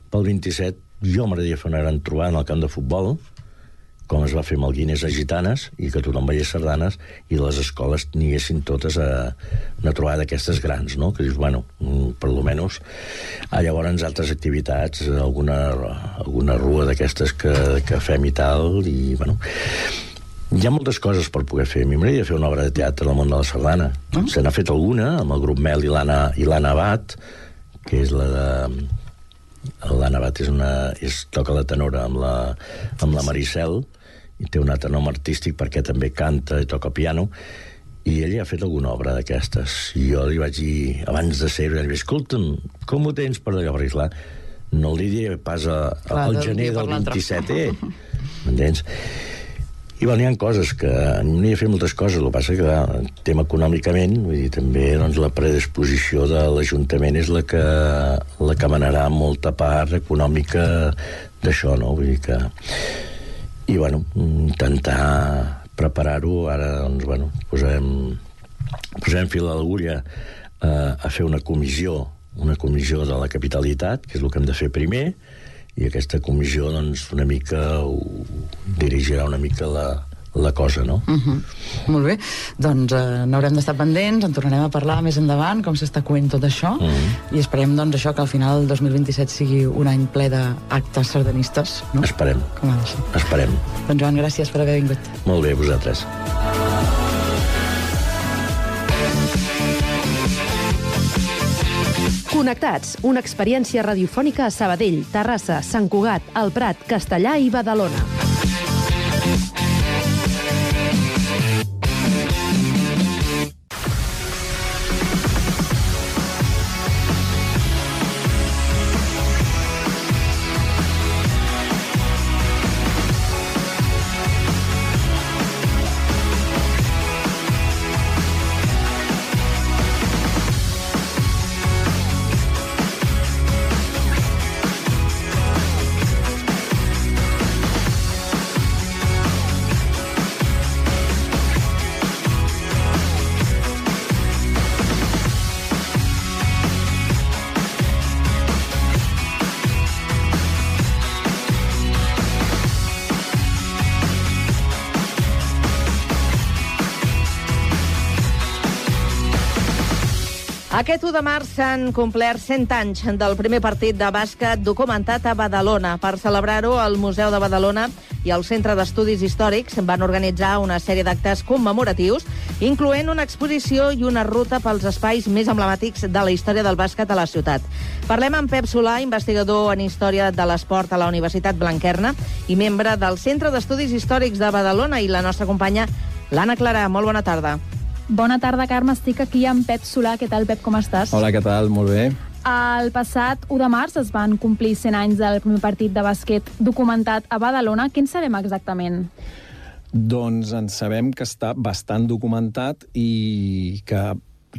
Pel vint-i-set jo m'agradaria fer una gran trobada en el camp de futbol, com es va fer amb el Guinness a Gitanes, i que tothom veiés sardanes i les escoles n'hi totes a una trobada d'aquestes grans, no? Que dius, bueno, per almenys ah, llavors altres activitats, alguna, alguna rua d'aquestes que, que fem i tal, i bueno... Hi ha moltes coses per poder fer. A mi m'agradaria fer una obra de teatre al món de la sardana. Mm. Se n'ha fet alguna, amb el grup Mel i l'Anna Abad, que és la de... L'Anna Abad és una... És, toca la tenora amb la, amb la Maricel, i té un altre nom artístic perquè també canta i toca piano, i ella ha fet alguna obra d'aquestes. I jo li vaig dir, abans de ser-ho, li vaig dir, escolta'm, com ho tens per allò? Perquè, clar, no li diré pas a, a, al gener del vint-i-set, eh? M'entens? I bueno, hi ha coses que n'hi ha fet moltes coses, el que passa que el tema econòmicament, vull dir, també doncs, la predisposició de l'Ajuntament és la que, la que manarà molta part econòmica d'això, no? Vull dir que... I bueno, intentar preparar-ho, ara doncs, bueno, posem, posem fil a l'agulla a, a fer una comissió, una comissió de la capitalitat, que és el que hem de fer primer, i aquesta comissió, doncs, una mica ho, dirigirà una mica la, la cosa, no? Uh-huh. Molt bé, doncs eh, n'haurem d'estar pendents, en tornarem a parlar més endavant, com s'està coent tot això, uh-huh. i esperem doncs això, que al final el dos mil vint-i-set sigui un any ple d'actes sardanistes, no? Esperem. Com ha de ser. Esperem. Doncs Joan, gràcies per haver vingut. Molt bé, vosaltres. Connectats, una experiència radiofònica a Sabadell, Terrassa, Sant Cugat, El Prat, Castellà i Badalona. Aquest u de març s'han complert cent anys del primer partit de bàsquet documentat a Badalona. Per celebrar-ho, el Museu de Badalona i el Centre d'Estudis Històrics van organitzar una sèrie d'actes commemoratius, incloent una exposició i una ruta pels espais més emblemàtics de la història del bàsquet a la ciutat. Parlem amb Pep Solà, investigador en Història de l'Esport a la Universitat Blanquerna i membre del Centre d'Estudis Històrics de Badalona, i la nostra companya l'Anna Clara. Molt bona tarda. Bona tarda, Carme. Estic aquí amb Pep Solà. Què tal, Pep? Com estàs? Hola, què tal? Molt bé. El passat u de març es van complir cent anys del primer partit de bàsquet documentat a Badalona. Què en sabem exactament? Doncs en sabem que està bastant documentat i que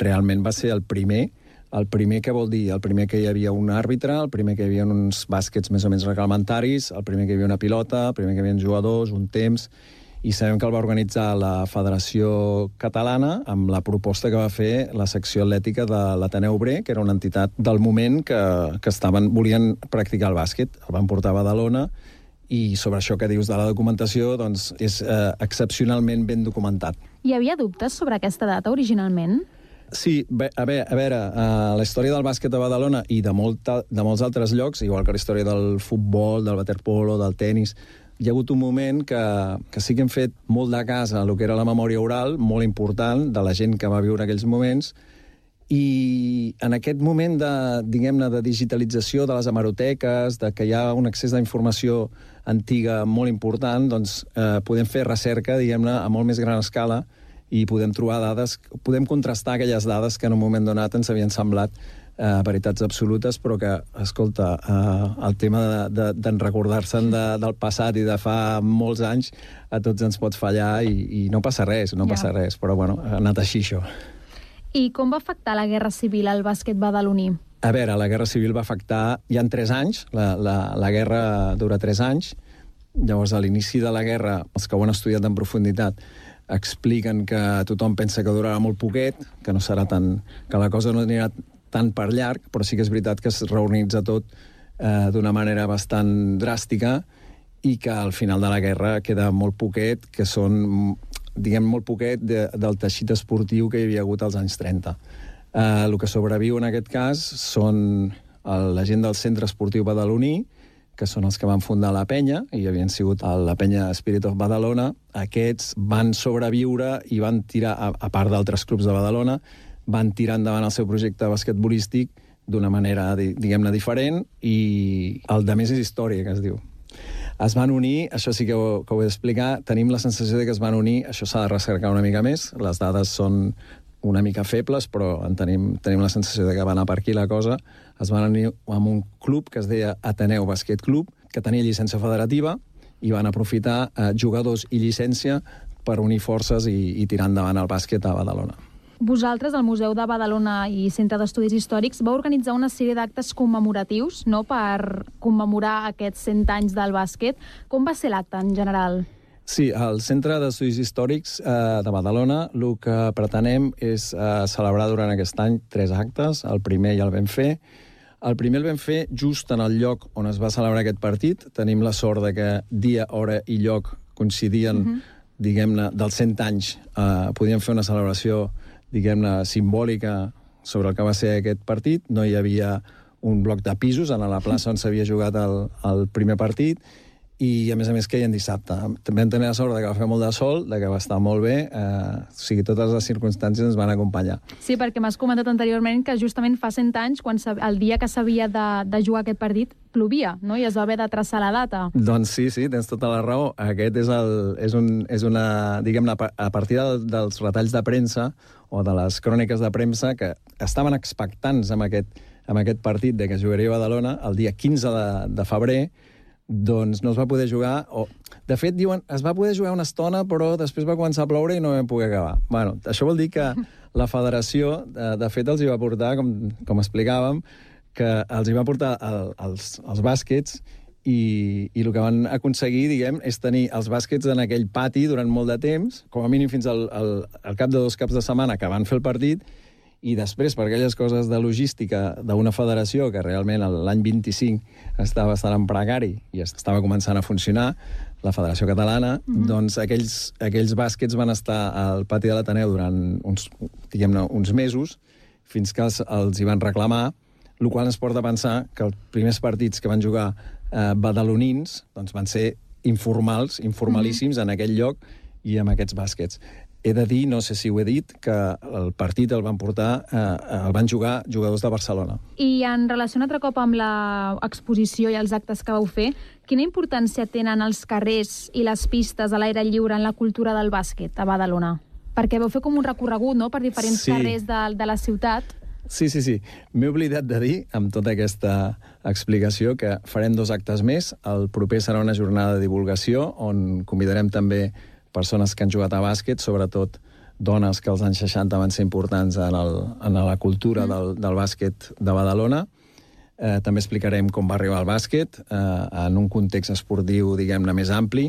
realment va ser el primer. El primer, què vol dir? El primer que hi havia un àrbitre, el primer que hi havia uns bàsquets més o menys reglamentaris, el primer que hi havia una pilota, el primer que hi havia jugadors, un temps, i sabem que el va organitzar la Federació Catalana amb la proposta que va fer la secció atlètica de l'Ateneu Obrer, que era una entitat del moment que, que estaven, volien practicar el bàsquet. El van portar a Badalona, i sobre això que dius de la documentació, doncs és eh, excepcionalment ben documentat. Hi havia dubtes sobre aquesta data originalment? Sí, bé, a veure, a veure uh, la història del bàsquet a Badalona i de, molta, de molts altres llocs, igual que la història del futbol, del waterpolo, del tennis, hi ha hagut un moment que, que sí que hem fet molt de cas a el que era la memòria oral, molt important, de la gent que va viure aquells moments, i en aquest moment de, diguem-ne, de digitalització de les hemeroteques, de que hi ha un accés d'informació antiga molt important, doncs eh, podem fer recerca, diguem-ne, a molt més gran escala, i podem trobar dades, podem contrastar aquelles dades que en un moment donat ens havien semblat Uh, veritats absolutes, però que, escolta, uh, el tema de, de, de recordar-se'n de, del passat i de fa molts anys, a tots ens pot fallar i, i no passa res, no ja. passa res, però bueno, ha anat així això. I com va afectar la Guerra Civil al bàsquet badaloní? A veure, la Guerra Civil va afectar, hi ha tres anys, la, la, la guerra dura tres anys, llavors a l'inici de la guerra, els que ho han estudiat en profunditat, expliquen que tothom pensa que durarà molt poquet, que no serà tan, que la cosa no anirà tant per llarg, però sí que és veritat que es reorganitza tot eh, d'una manera bastant dràstica i que al final de la guerra queda molt poquet, que són, diguem, molt poquet de, del teixit esportiu que hi havia hagut als anys trenta. Eh, el que sobreviu en aquest cas són el, la gent del Centre Esportiu Badaloní, que són els que van fundar la penya, i havien sigut la penya Spirit of Badalona. Aquests van sobreviure i van tirar, a, a part d'altres clubs de Badalona, van tirar endavant el seu projecte basquetbolístic d'una manera, diguem-ne, diferent, i el de més és història, que es diu. Es van unir, això sí que ho, que ho he d'explicar, tenim la sensació de que es van unir, això s'ha de recercar una mica més, les dades són una mica febles, però en tenim, tenim la sensació de que va anar per aquí la cosa. Es van unir amb un club que es deia Ateneu Bàsquet Club, que tenia llicència federativa, i van aprofitar eh, jugadors i llicència per unir forces i, i tirar endavant el bàsquet a Badalona. Vosaltres, al Museu de Badalona i Centre d'Estudis Històrics, vau organitzar una sèrie d'actes commemoratius, no?, per commemorar aquests cent anys del bàsquet. Com va ser l'acte en general? Sí, al Centre d'Estudis Històrics eh, de Badalona el que pretenem és eh, celebrar durant aquest any tres actes. El primer ja el vam fer. El primer el vam fer just en el lloc on es va celebrar aquest partit. Tenim la sort de que dia, hora i lloc coincidien, uh-huh. diguem-ne, dels cent anys. Eh, podíem fer una celebració, diguem-ne, simbòlica sobre el que va ser aquest partit. No hi havia un bloc de pisos a la plaça on s'havia jugat el, el primer partit, i a més a més queien dissabte. També vam tenir la sort de que va fer molt de sol, de que va estar molt bé, eh, o sigui, totes les circumstàncies ens van acompanyar. Sí, perquè m'has comentat anteriorment que justament fa cent anys, quan el dia que s'havia de, de jugar aquest partit, plovia, no? I es va haver de traçar la data. Doncs sí, sí, tens tota la raó. Aquest és, el, és, un, és una, diguem-ne, a partir del, dels retalls de premsa o de les cròniques de premsa que estaven expectants amb aquest, amb aquest partit de que jugaria a Badalona el dia quinze de, de febrer, doncs no es va poder jugar, o de fet diuen es va poder jugar una estona però després va començar a ploure i no vam poder acabar. Bueno, això vol dir que la federació de, de fet els hi va portar, com, com explicàvem, que els hi va portar el, els, els bàsquets i, i el que van aconseguir, diguem, és tenir els bàsquets en aquell pati durant molt de temps, com a mínim fins al, al, al cap de dos caps de setmana que van fer el partit, i després, per aquelles coses de logística d'una federació que realment l'any vint-i-cinc estava bastant en precari i estava començant a funcionar, la Federació Catalana, mm-hmm. doncs aquells, aquells bàsquets van estar al pati de l'Ateneu durant uns, diguem-ne, uns mesos, fins que els, els hi van reclamar, el qual ens porta a pensar que els primers partits que van jugar eh, badalonins doncs van ser informals, informalíssims mm-hmm. en aquell lloc i amb aquests bàsquets. He de dir, no sé si ho he dit, que el partit el van portar, eh, el van jugar jugadors de Barcelona. I en relació un altre cop amb l'exposició i els actes que vau fer, quina importància tenen els carrers i les pistes a l'aire lliure en la cultura del bàsquet a Badalona? Perquè vau fer com un recorregut, no?, per diferents sí. carrers de, de la ciutat. Sí, sí, sí. M'he oblidat de dir, amb tota aquesta explicació, que farem dos actes més. El proper serà una jornada de divulgació, on convidarem també persones que han jugat a bàsquet, sobretot dones que als anys seixanta van ser importants en, el, en la cultura mm. del, del bàsquet de Badalona. Eh, també explicarem com va arribar al bàsquet eh, en un context esportiu, diguem-ne, més ampli.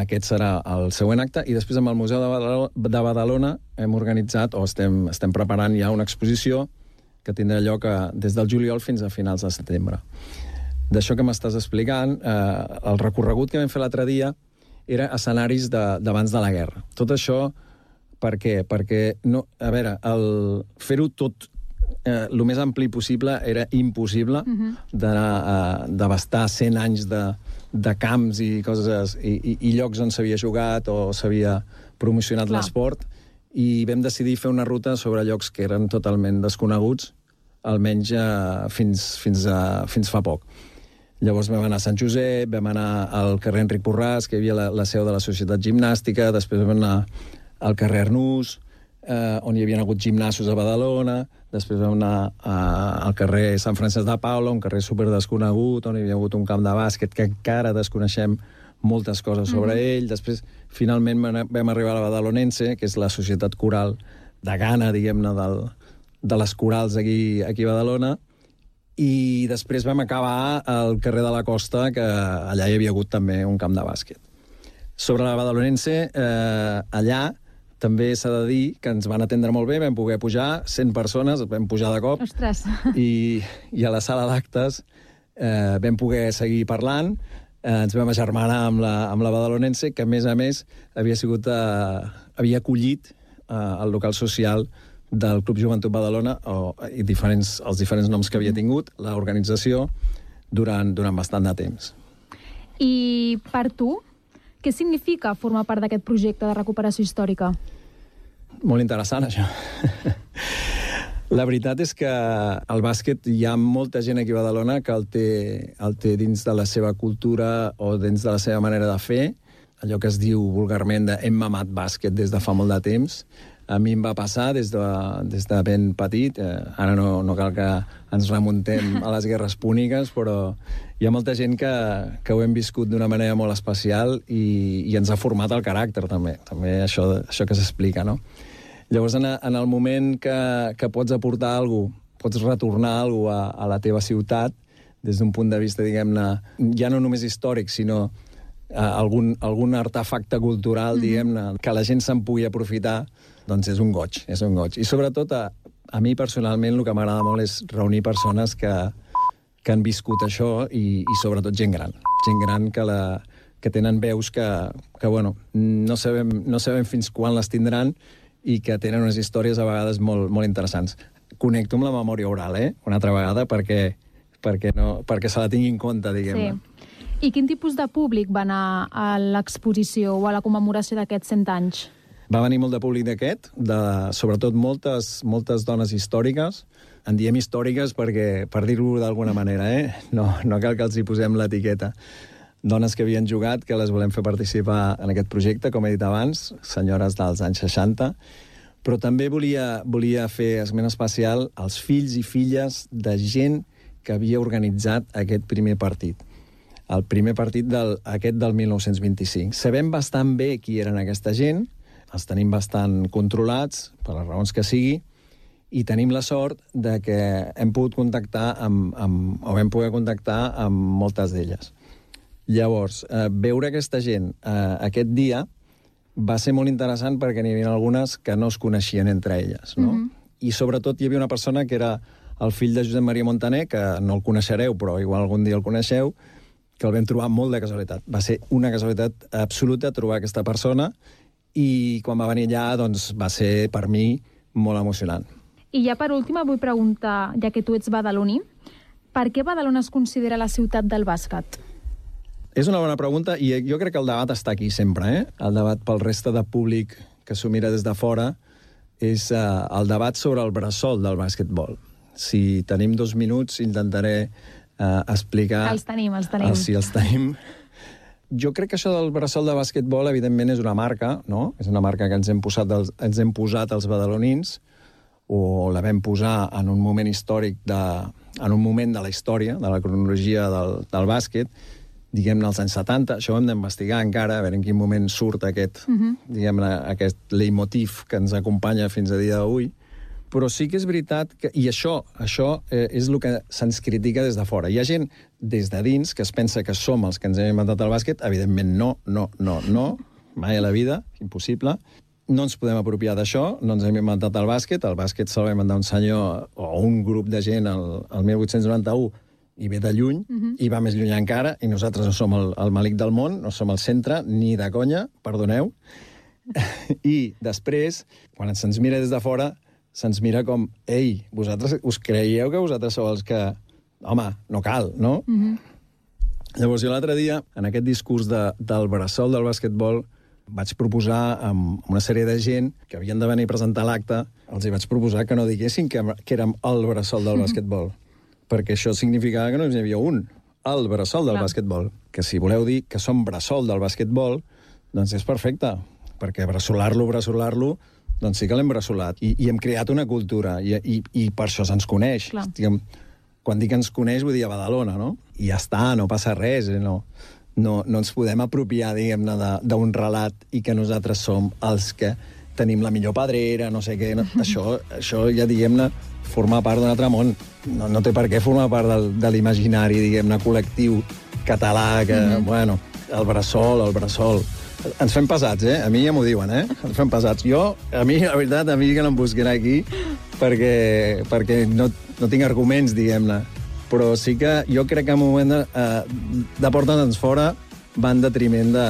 Aquest serà el següent acte. I després, amb el Museu de Badalona, de Badalona hem organitzat, o estem, estem preparant ja una exposició que tindrà lloc a, des del juliol fins a finals de setembre. D'això que m'estàs explicant, eh, el recorregut que vam fer l'altre dia era escenaris d'abans de, de la guerra. Tot això, per què? Perquè, no, a veure, el fer-ho tot eh, el més ampli possible era impossible uh-huh. d'anar d'abastar cent anys de, de camps i coses i, i, i llocs on s'havia jugat o s'havia promocionat l'esport, i vam decidir fer una ruta sobre llocs que eren totalment desconeguts, almenys eh, fins, fins, a, fins fa poc. Llavors vam anar a Sant Josep, vam anar al carrer Enric Borràs, que hi havia la, la seu de la Societat Gimnàstica, després vam anar al carrer Arnús, eh, on hi havia hagut gimnasos a Badalona, després vam anar a, al carrer Sant Francesc de Paula, un carrer superdesconegut, on hi havia hagut un camp de bàsquet que encara desconeixem moltes coses sobre mm-hmm. ell. Després, finalment, vam arribar a la Badalonense, que és la societat coral de Gana, diguem-ne, del, de les corals aquí, aquí a Badalona, i després vam acabar al carrer de la Costa, que allà hi havia hagut també un camp de bàsquet. Sobre la Badalonense, eh, allà també s'ha de dir que ens van atendre molt bé, vam poder pujar cent persones, vam pujar de cop. Ostres! I, i a la sala d'actes eh, vam poder seguir parlant, eh, ens vam agermanar amb la, amb la Badalonense, que a més a més havia sigut, eh, havia acollit eh, el local social del Club Joventut Badalona, o, i diferents, els diferents noms que havia tingut, l'organització, durant, durant bastant de temps. I per tu, què significa formar part d'aquest projecte de recuperació històrica? Molt interessant, això. La veritat és que el bàsquet hi ha molta gent aquí a Badalona que el té, el té dins de la seva cultura o dins de la seva manera de fer, allò que es diu vulgarment de hem mamat bàsquet des de fa molt de temps. A mi em va passar des de, des de ben petit. Eh, ara no, no cal que ens remuntem a les guerres púniques, però hi ha molta gent que, que ho hem viscut d'una manera molt especial i, i ens ha format el caràcter, també. També això, això que s'explica, no? Llavors, en, en el moment que, que pots aportar alguna cosa, pots retornar alguna cosa a, a la teva ciutat, des d'un punt de vista, diguem-ne, ja no només històric, sinó eh, algun, algun artefacte cultural, mm-hmm. diguem-ne, que la gent se'n pugui aprofitar, doncs és un goig, és un goig. I sobretot, a, a mi personalment, el que m'agrada molt és reunir persones que, que han viscut això i, i sobretot gent gran. Gent gran que, la, que tenen veus que, que bueno, no sabem, no sabem fins quan les tindran i que tenen unes històries a vegades molt, molt interessants. Connecto amb la memòria oral, eh? Una altra vegada, perquè, perquè, no, perquè se la tingui en compte, diguem-ne. Sí. I quin tipus de públic va anar a l'exposició o a la commemoració d'aquests cent anys? Va venir molt de públic d'aquest, de, sobretot moltes, moltes dones històriques. En diem històriques perquè, per dir-ho d'alguna manera, eh? No, no cal que els hi posem l'etiqueta. Dones que havien jugat, que les volem fer participar en aquest projecte, com he dit abans, senyores dels anys seixanta, però també volia, volia fer esment especial als fills i filles de gent que havia organitzat aquest primer partit. El primer partit del, aquest del mil nou-cents vint-i-cinc. Sabem bastant bé qui eren aquesta gent, els tenim bastant controlats, per les raons que sigui, i tenim la sort de que hem pogut contactar amb, amb, o vam poder contactar amb moltes d'elles. Llavors, eh, veure aquesta gent eh, aquest dia va ser molt interessant perquè n'hi havia algunes que no es coneixien entre elles, no? Mm-hmm. I sobretot hi havia una persona que era el fill de Josep Maria Montaner, que no el coneixereu, però igual algun dia el coneixeu, que el vam trobar molt de casualitat. Va ser una casualitat absoluta trobar aquesta persona i quan va venir allà doncs, va ser per mi molt emocionant. I ja per últim vull preguntar, ja que tu ets badaloní, per què Badalona es considera la ciutat del bàsquet? És una bona pregunta i jo crec que el debat està aquí sempre, eh? El debat pel reste de públic que s'ho mira des de fora és eh, el debat sobre el bressol del bàsquetbol. Si tenim dos minuts intentaré eh, explicar... Els tenim, els tenim. Si els tenim. Jo crec que això del bressol de bàsquetbol evidentment és una marca, no? És una marca que ens hem posat, els, ens hem posat els badalonins, o la vam posar en un moment històric, de, en un moment de la història, de la cronologia del, del bàsquet, diguem-ne als anys setanta. Això ho hem d'investigar encara, a veure en quin moment surt aquest, uh-huh. diguem-ne, aquest leitmotiv que ens acompanya fins a dia d'avui. Però sí que és veritat que... I això, això eh, és el que se'ns critica des de fora. Hi ha gent des de dins que es pensa que som els que ens hem inventat el bàsquet. Evidentment no, no, no, no. Mai a la vida, impossible. No ens podem apropiar d'això, no ens hem inventat el bàsquet. El bàsquet se'l va inventar un senyor o un grup de gent el, el mil vuit-cents noranta-u i ve de lluny, uh-huh. i va més lluny encara, i nosaltres no som el, el malic del món, no som el centre, ni de conya, perdoneu. I després, quan se'ns mira des de fora, se'ns mira com, ei, vosaltres us creieu que vosaltres sou els que... Home, no cal, no? Uh-huh. Llavors, jo l'altre dia, en aquest discurs de, del bressol del bàsquetbol, vaig proposar amb una sèrie de gent que havien de venir a presentar l'acte, els hi vaig proposar que no diguessin que, que érem el bressol del bàsquetbol, perquè això significava que no hi havia un, el bressol del Clar. bàsquetbol. Que si voleu dir que som bressol del bàsquetbol, doncs és perfecte, perquè bressolar-lo, bressolar-lo, doncs sí que l'hem bressolat. I, i hem creat una cultura, i, i, i per això se'ns coneix. Diguem, quan dic que ens coneix, vull dir a Badalona, no? I ja està, no passa res, eh? no, no, no ens podem apropiar, diguem-ne, d'un relat i que nosaltres som els que tenim la millor pedrera, no sé què. No, això, això ja, diguem-ne, formar part d'un altre món. No, no té per què formar part del, de l'imaginari, diguem-ne, col·lectiu català, que, mm-hmm. bueno, el bressol, el bressol. Ens fem pesats, eh? A mi ja m'ho diuen, eh? Ens fem pesats. Jo, a mi, la veritat, a mi que no em busquin aquí perquè, perquè no, no tinc arguments, diguem-ne. Però sí que jo crec que en un moment de, eh, de portar-nos fora va en detriment de,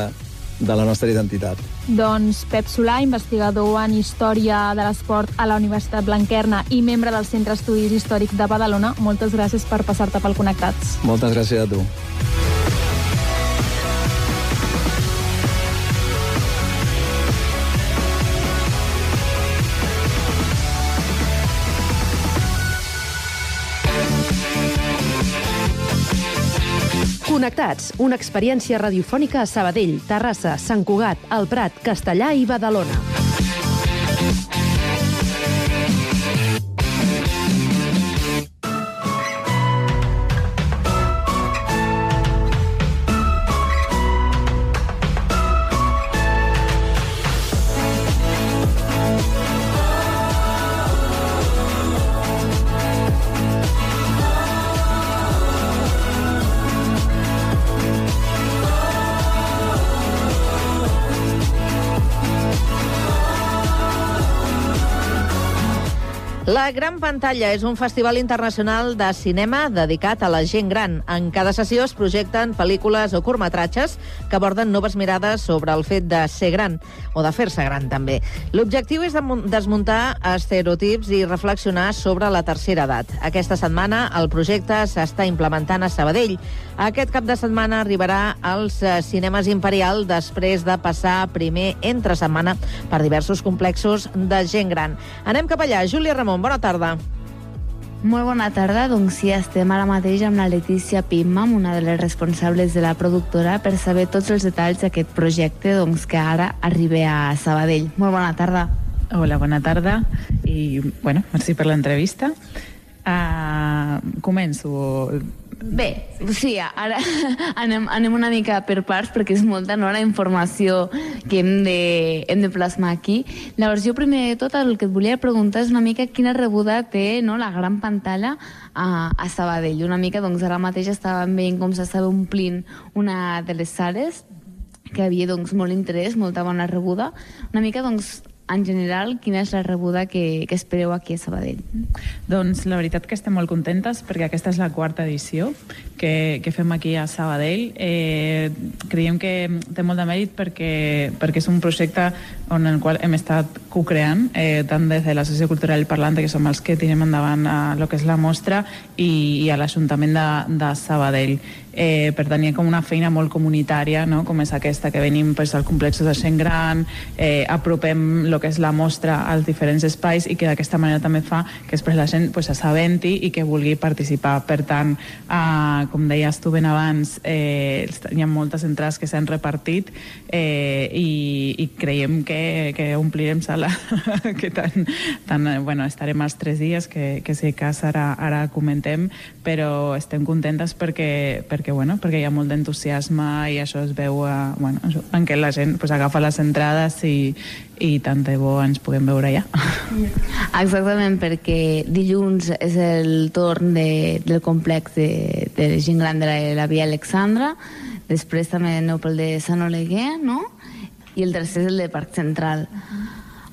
de la nostra identitat. Doncs Pep Solà, investigador en Història de l'Esport a la Universitat Blanquerna i membre del Centre d'Estudis Històrics de Badalona, moltes gràcies per passar-te pel Connectats. Moltes gràcies a tu. Connectats, una experiència radiofònica a Sabadell, Terrassa, Sant Cugat, El Prat, Castellà i Badalona. Oh La Gran Pantalla és un festival internacional de cinema dedicat a la gent gran. En cada sessió es projecten pel·lícules o curtmetratges que aborden noves mirades sobre el fet de ser gran, o de fer-se gran, també. L'objectiu és desmuntar estereotips i reflexionar sobre la tercera edat. Aquesta setmana el projecte s'està implementant a Sabadell. Aquest cap de setmana arribarà als cinemes Imperial després de passar primer entre setmana per diversos complexos de gent gran. Anem cap allà. Júlia Ramon, bona tarda. Molt bona tarda. Doncs sí, estem ara mateix amb la Letícia Pimmam, una de les responsables de la productora, per saber tots els detalls d'aquest projecte doncs, que ara arriba a Sabadell. Molt bona tarda. Hola, bona tarda. I, bueno, merci per l'entrevista. Uh, començo... Bé, sí, ara anem, anem una mica per parts perquè és molta, no?, la informació que hem de, hem de plasmar aquí. Llavors, jo primer de tot el que et volia preguntar és una mica quina rebuda té, no?, la Gran Pantalla a, a Sabadell. Una mica, doncs, ara mateix estàvem veient com s'estava omplint una de les sales, que havia, doncs, molt interès, molta bona rebuda. Una mica, doncs, en general, quina és la rebuda que, que espereu aquí a Sabadell? Doncs la veritat que estem molt contentes perquè aquesta és la quarta edició que, que fem aquí a Sabadell. Eh, creiem que té molt de mèrit perquè, perquè és un projecte on el qual hem estat co-creant, eh, tant des de l'Associació Cultural Parlante, que som els que tirem endavant a el que és la mostra, i, i a l'Ajuntament de, de Sabadell. Eh, per tant, hi ha com una feina molt comunitària, no?, com és aquesta, que venim pues, al complex de gent gran, eh, apropem el que és la mostra als diferents espais i que d'aquesta manera també fa que després la gent pues, s'assabenti i que vulgui participar. Per tant, eh, com deies tu ben abans, eh, hi ha moltes entrades que s'han repartit eh, i, i creiem que, que omplirem sala, que tant, tant, bueno, estarem els tres dies, que, que si cas ara, ara comentem, però estem contentes perquè, perquè, bueno, perquè hi ha molt d'entusiasme i això es veu a, bueno, això, en què la gent pues, agafa les entrades i, i tant de bo ens puguem veure allà. Exactament, perquè dilluns és el torn de, del complex de, de gent gran de la, la Via Alexandra, després també aneu pel de Sant Oleguer, no?, i el tercer és el de Parc Central.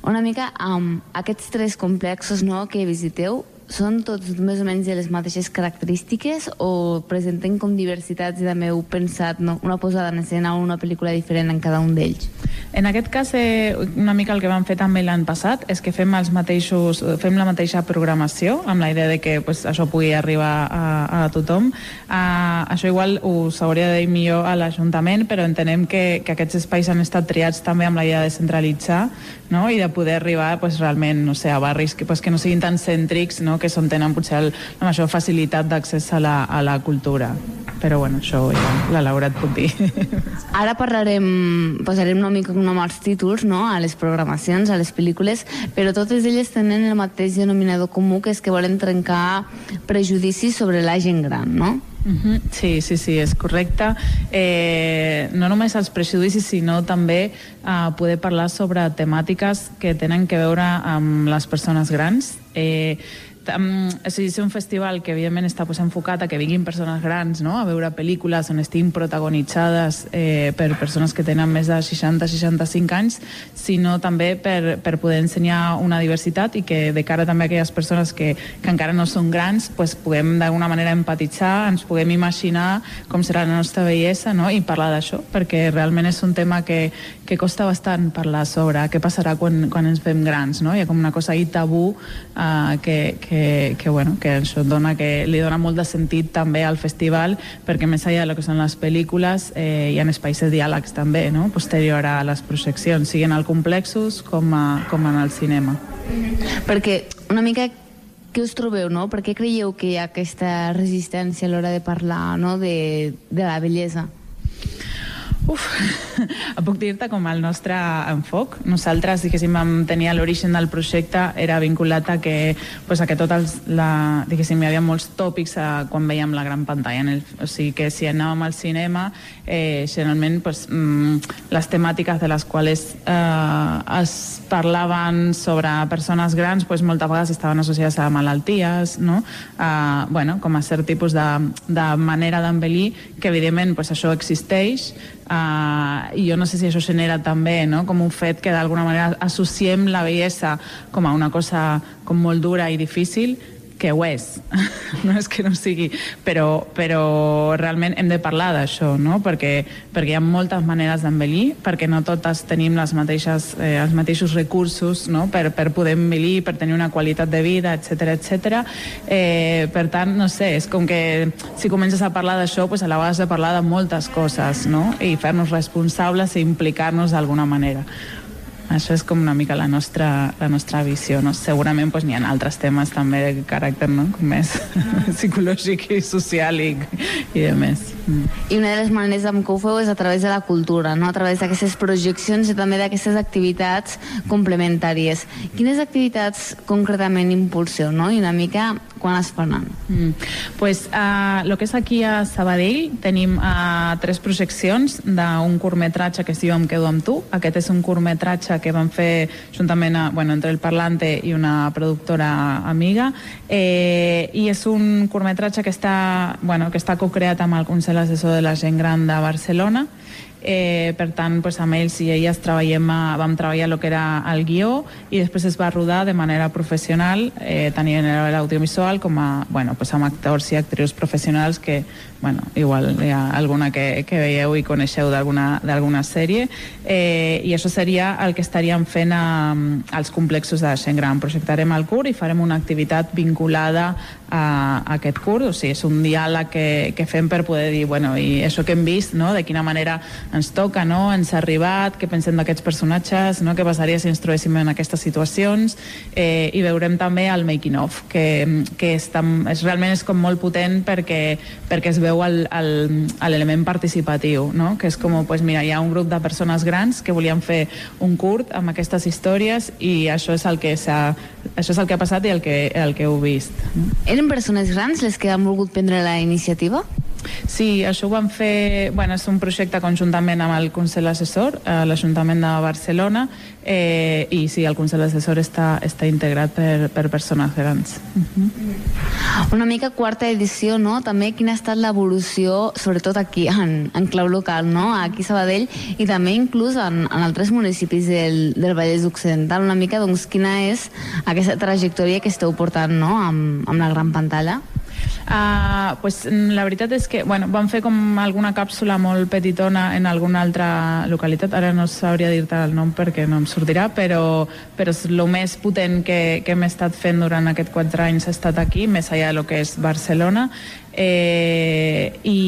Una mica amb aquests tres complexos, no?, que visiteu, són tots més o menys de les mateixes característiques o presenten com diversitats i també heu pensat, no?, una posada en escena o una pel·lícula diferent en cada un d'ells? En aquest cas, eh, una mica el que vam fer també l'any passat és que fem els mateixos, fem la mateixa programació amb la idea de que pues, això pugui arribar a, a tothom. Uh, això igual us hauria de dir millor a l'Ajuntament, però entenem que, que aquests espais han estat triats també amb la idea de centralitzar, no?, i de poder arribar pues, realment, no sé, a barris que, pues, que no siguin tan cèntrics, no?, que són tenen potser el, la major facilitat d'accés a, la, a la cultura. Però bueno, això ja la Laura et puc dir. Ara parlarem, posarem una mica com els títols, no?, a les programacions, a les pel·lícules, però totes elles tenen el mateix denominador comú, que és que volen trencar prejudicis sobre la gent gran, no? Uh-huh. Sí, sí, sí, és correcte. Eh, no només els prejudicis, sinó també eh, poder parlar sobre temàtiques que tenen que veure amb les persones grans. Eh, Um, és un festival que evidentment està pues, enfocat a que vinguin persones grans, no?, a veure pel·lícules on estiguin protagonitzades eh, per persones que tenen més de seixanta a seixanta-cinc anys, sinó també per, per poder ensenyar una diversitat i que de cara també a aquelles persones que, que encara no són grans pues, puguem d'alguna manera empatitzar, ens puguem imaginar com serà la nostra bellesa, no?, i parlar d'això, perquè realment és un tema que, que costa bastant parlar sobre què passarà quan, quan ens fem grans, no? Hi ha com una cosa ahí tabú eh, que, que Que, que, bueno, que això dona, que li dona molt de sentit també al festival, perquè més enllà del que són les pel·lícules eh, hi ha espais de diàlegs també, no?, posterior a les projeccions, siguin al complexos com, a, com en el cinema. Perquè una mica què us trobeu, no? Per què creieu que hi ha aquesta resistència a l'hora de parlar, no?, de, de la bellesa? Uf, puc dir-te com el nostre enfoc. Nosaltres, diguéssim, vam tenir l'origen del projecte era vinculat a que, pues, a que tot els, la, diguéssim, hi havia molts tòpics a, quan veiem la gran pantalla. En el, o sigui que si anàvem al cinema, eh, generalment pues, mm, les temàtiques de les quals eh, es parlaven sobre persones grans pues, moltes vegades estaven associades a malalties, no? Eh, bueno, com a cert tipus de, de manera d'envellir, que evidentment pues, això existeix, Uh, I jo no sé si això genera també, no?, com un fet que d'alguna manera associem la bellesa com a una cosa com molt dura i difícil, que ho és, no és que no sigui, però, però realment hem de parlar d'això, no? Perquè, perquè hi ha moltes maneres d'envellir, perquè no totes tenim les mateixes, eh, els mateixos recursos, no?, per, per poder envellir, per tenir una qualitat de vida, etcètera, etcètera. Eh, per tant, no sé, és com que si comences a parlar d'això, pues a la vegada has de parlar de moltes coses, no?, i fer-nos responsables i implicar-nos d'alguna manera. Això és com una mica la nostra, la nostra visió, no? Segurament pues, n'hi ha altres temes també de caràcter, no?, com més psicològic i social i, i de més. Mm. I una de les maneres amb què ho feu és a través de la cultura, no?, a través d'aquestes projeccions i també d'aquestes activitats complementàries. Quines activitats concretament impulseu, no?, i una mica quan es faran? Mm. Pues, uh, lo que és aquí a Sabadell tenim uh, tres projeccions d'un curtmetratge que es diu Em quedo amb tu. Aquest és un curtmetratge que vam fer juntament a, bueno, entre el Parlante i una productora amiga, eh, i és un curtmetratge que està, bueno, que està co-creat amb el Consell Assessor de la Gent Gran de Barcelona. Eh, per tant, pues, amb ells i elles treballem a, vam treballar el que era el guió i després es va rodar de manera professional, eh, tant en l'audiovisual com a, bueno, pues, amb actors i actrius professionals que, bueno, igual hi ha alguna que, que veieu i coneixeu d'alguna sèrie, eh, i això seria el que estaríem fent a, als complexos de la gent gran. Projectarem el curt i farem una activitat vinculada a, a aquest curt, o sigui, és un diàleg que, que fem per poder dir, bueno, i això que hem vist, no?, de quina manera ens toca, no?, ens ha arribat, què pensem d'aquests personatges, no?, què passaria si ens trobéssim en aquestes situacions, eh, i veurem també el making of, que, que és, tan, és realment és com molt potent perquè, perquè es veu l'element participatiu, no?, que és com, pues mira, hi ha un grup de persones grans que volien fer un curt amb aquestes històries i això és el que s'ha, això és el que ha passat i el que, el que heu vist. Eren persones grans les que han volgut prendre la iniciativa? Sí, això ho vam fer, bueno, és un projecte conjuntament amb el Consell Assessor, a l'Ajuntament de Barcelona, eh, i sí, el Consell Assessor està, està integrat per, per persones grans. Uh-huh. Una mica quarta edició, no? També quina ha estat l'evolució, sobretot aquí, en, en clau local, no? Aquí a Sabadell, i també inclús en, en altres municipis del, del Vallès Occidental. Una mica, doncs, quina és aquesta trajectòria que esteu portant, no?, amb, amb la gran pantalla? Uh, pues, la veritat és que bueno, vam fer com alguna càpsula molt petitona en alguna altra localitat, ara no sabria dir-te el nom perquè no em sortirà, però, però és el més potent que, que hem estat fent durant aquests quatre anys ha estat aquí, més allà del que és Barcelona, eh, i...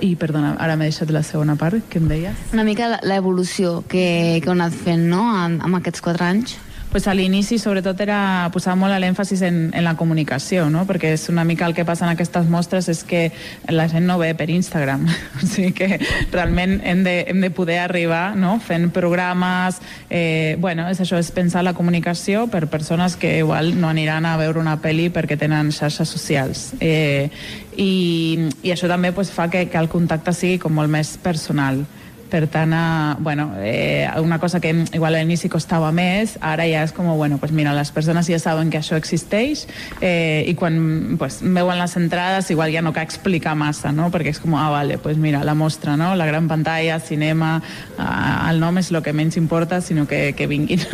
I, perdona, ara m'he deixat la segona part, que em deies? Una mica l'evolució que, que heu anat fent, no?, en, en aquests quatre anys. Pues a l'inici sobretot era posar molt l'èmfasis en, en la comunicació, no? Perquè és una mica el que passa en aquestes mostres és que la gent no ve per Instagram, o sigui que realment hem de, hem de poder arribar, no?, fent programes, eh, bueno, és això, és pensar la comunicació per persones que igual no aniran a veure una pel·li perquè tenen xarxes socials, eh, i, i això també pues, fa que, que el contacte sigui com molt més personal. Per tant, eh, bueno, eh, una cosa que igual a l'inici costava més, ara ja és com, bueno, pues mira, les persones ja saben que això existeix, eh, i quan pues, veuen les entrades igual ja no cal explicar massa, no?, perquè és com, ah, vale, pues mira, la mostra, no?, la gran pantalla, cinema, eh, el nom és el que menys importa, sinó que, que vinguin.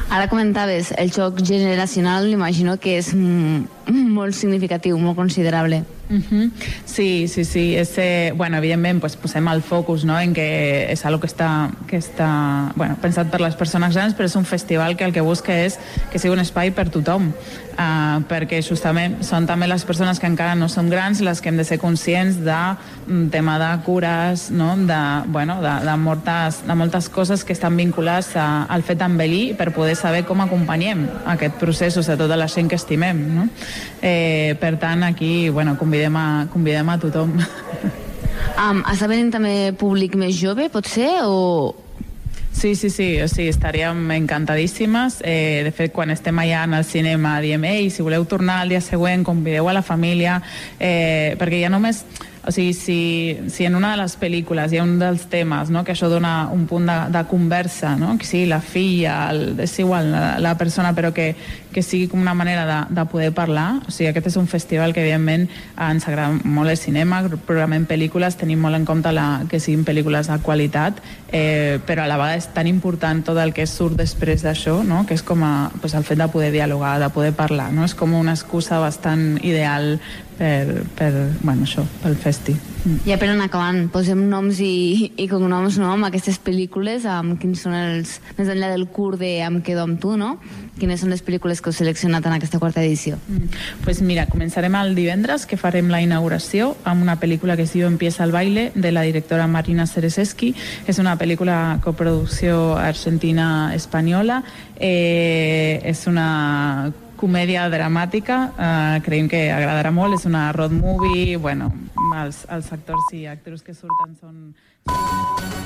Ara comentaves, el xoc generacional, m'imagino que és molt significatiu, molt considerable. Uh-huh. Sí, sí, sí. És, eh, bueno, evidentment, pues, posem el focus, no?, en que és algo que està, que està bueno, pensat per les persones grans, però és un festival que el que busca és que sigui un espai per tothom, uh, perquè justament són també les persones que encara no són grans les que hem de ser conscients de um, tema de cures, no?, de, bueno, de, de, moltes, de moltes coses que estan vinculades a, al fet d'envellir per poder saber com acompanyem aquest procés, o sigui, tota la gent que estimem, no? Eh, per tant, aquí, bueno, convidem a, convidem a tothom. Um, està venint també públic més jove, pot ser, o...? Sí, sí, sí, o sigui, estaríem encantadíssimes. Eh, de fet, quan estem allà en el cinema diem, ei, si voleu tornar al dia següent, convideu a la família, eh, perquè ja només O sigui, si, si en una de les pel·lícules hi ha un dels temes, no?, que això dona un punt de, de conversa, no?, que sigui la filla, el, és igual la, la persona, però que, que sigui com una manera de, de poder parlar. O sigui, aquest és un festival que, evidentment, ens agrada molt el cinema, programem pel·lícules, tenim molt en compte la, que siguin pel·lícules de qualitat, eh, però a la vegada és tan important tot el que surt després d'això, no?, que és com a, pues, el fet de poder dialogar, de poder parlar, no? És com una excusa bastant ideal per, per bueno, això, pel festi. Ja per anar acabant, posem noms i, i cognoms, no?, amb aquestes pel·lícules, amb quins són els, més enllà del curt de Em quedo amb tu, no?, quines són les pel·lícules que heu seleccionat en aquesta quarta edició? Mm. Pues mira, començarem el divendres, que farem la inauguració amb una pel·lícula que es diu Empieza el baile, de la directora Marina Sereseski. És una pel·lícula coproducció argentina-espanyola. Eh, és una comèdia dramàtica, eh, creiem que agradarà molt, és una road movie, bueno, els, els actors i actrius que surten són...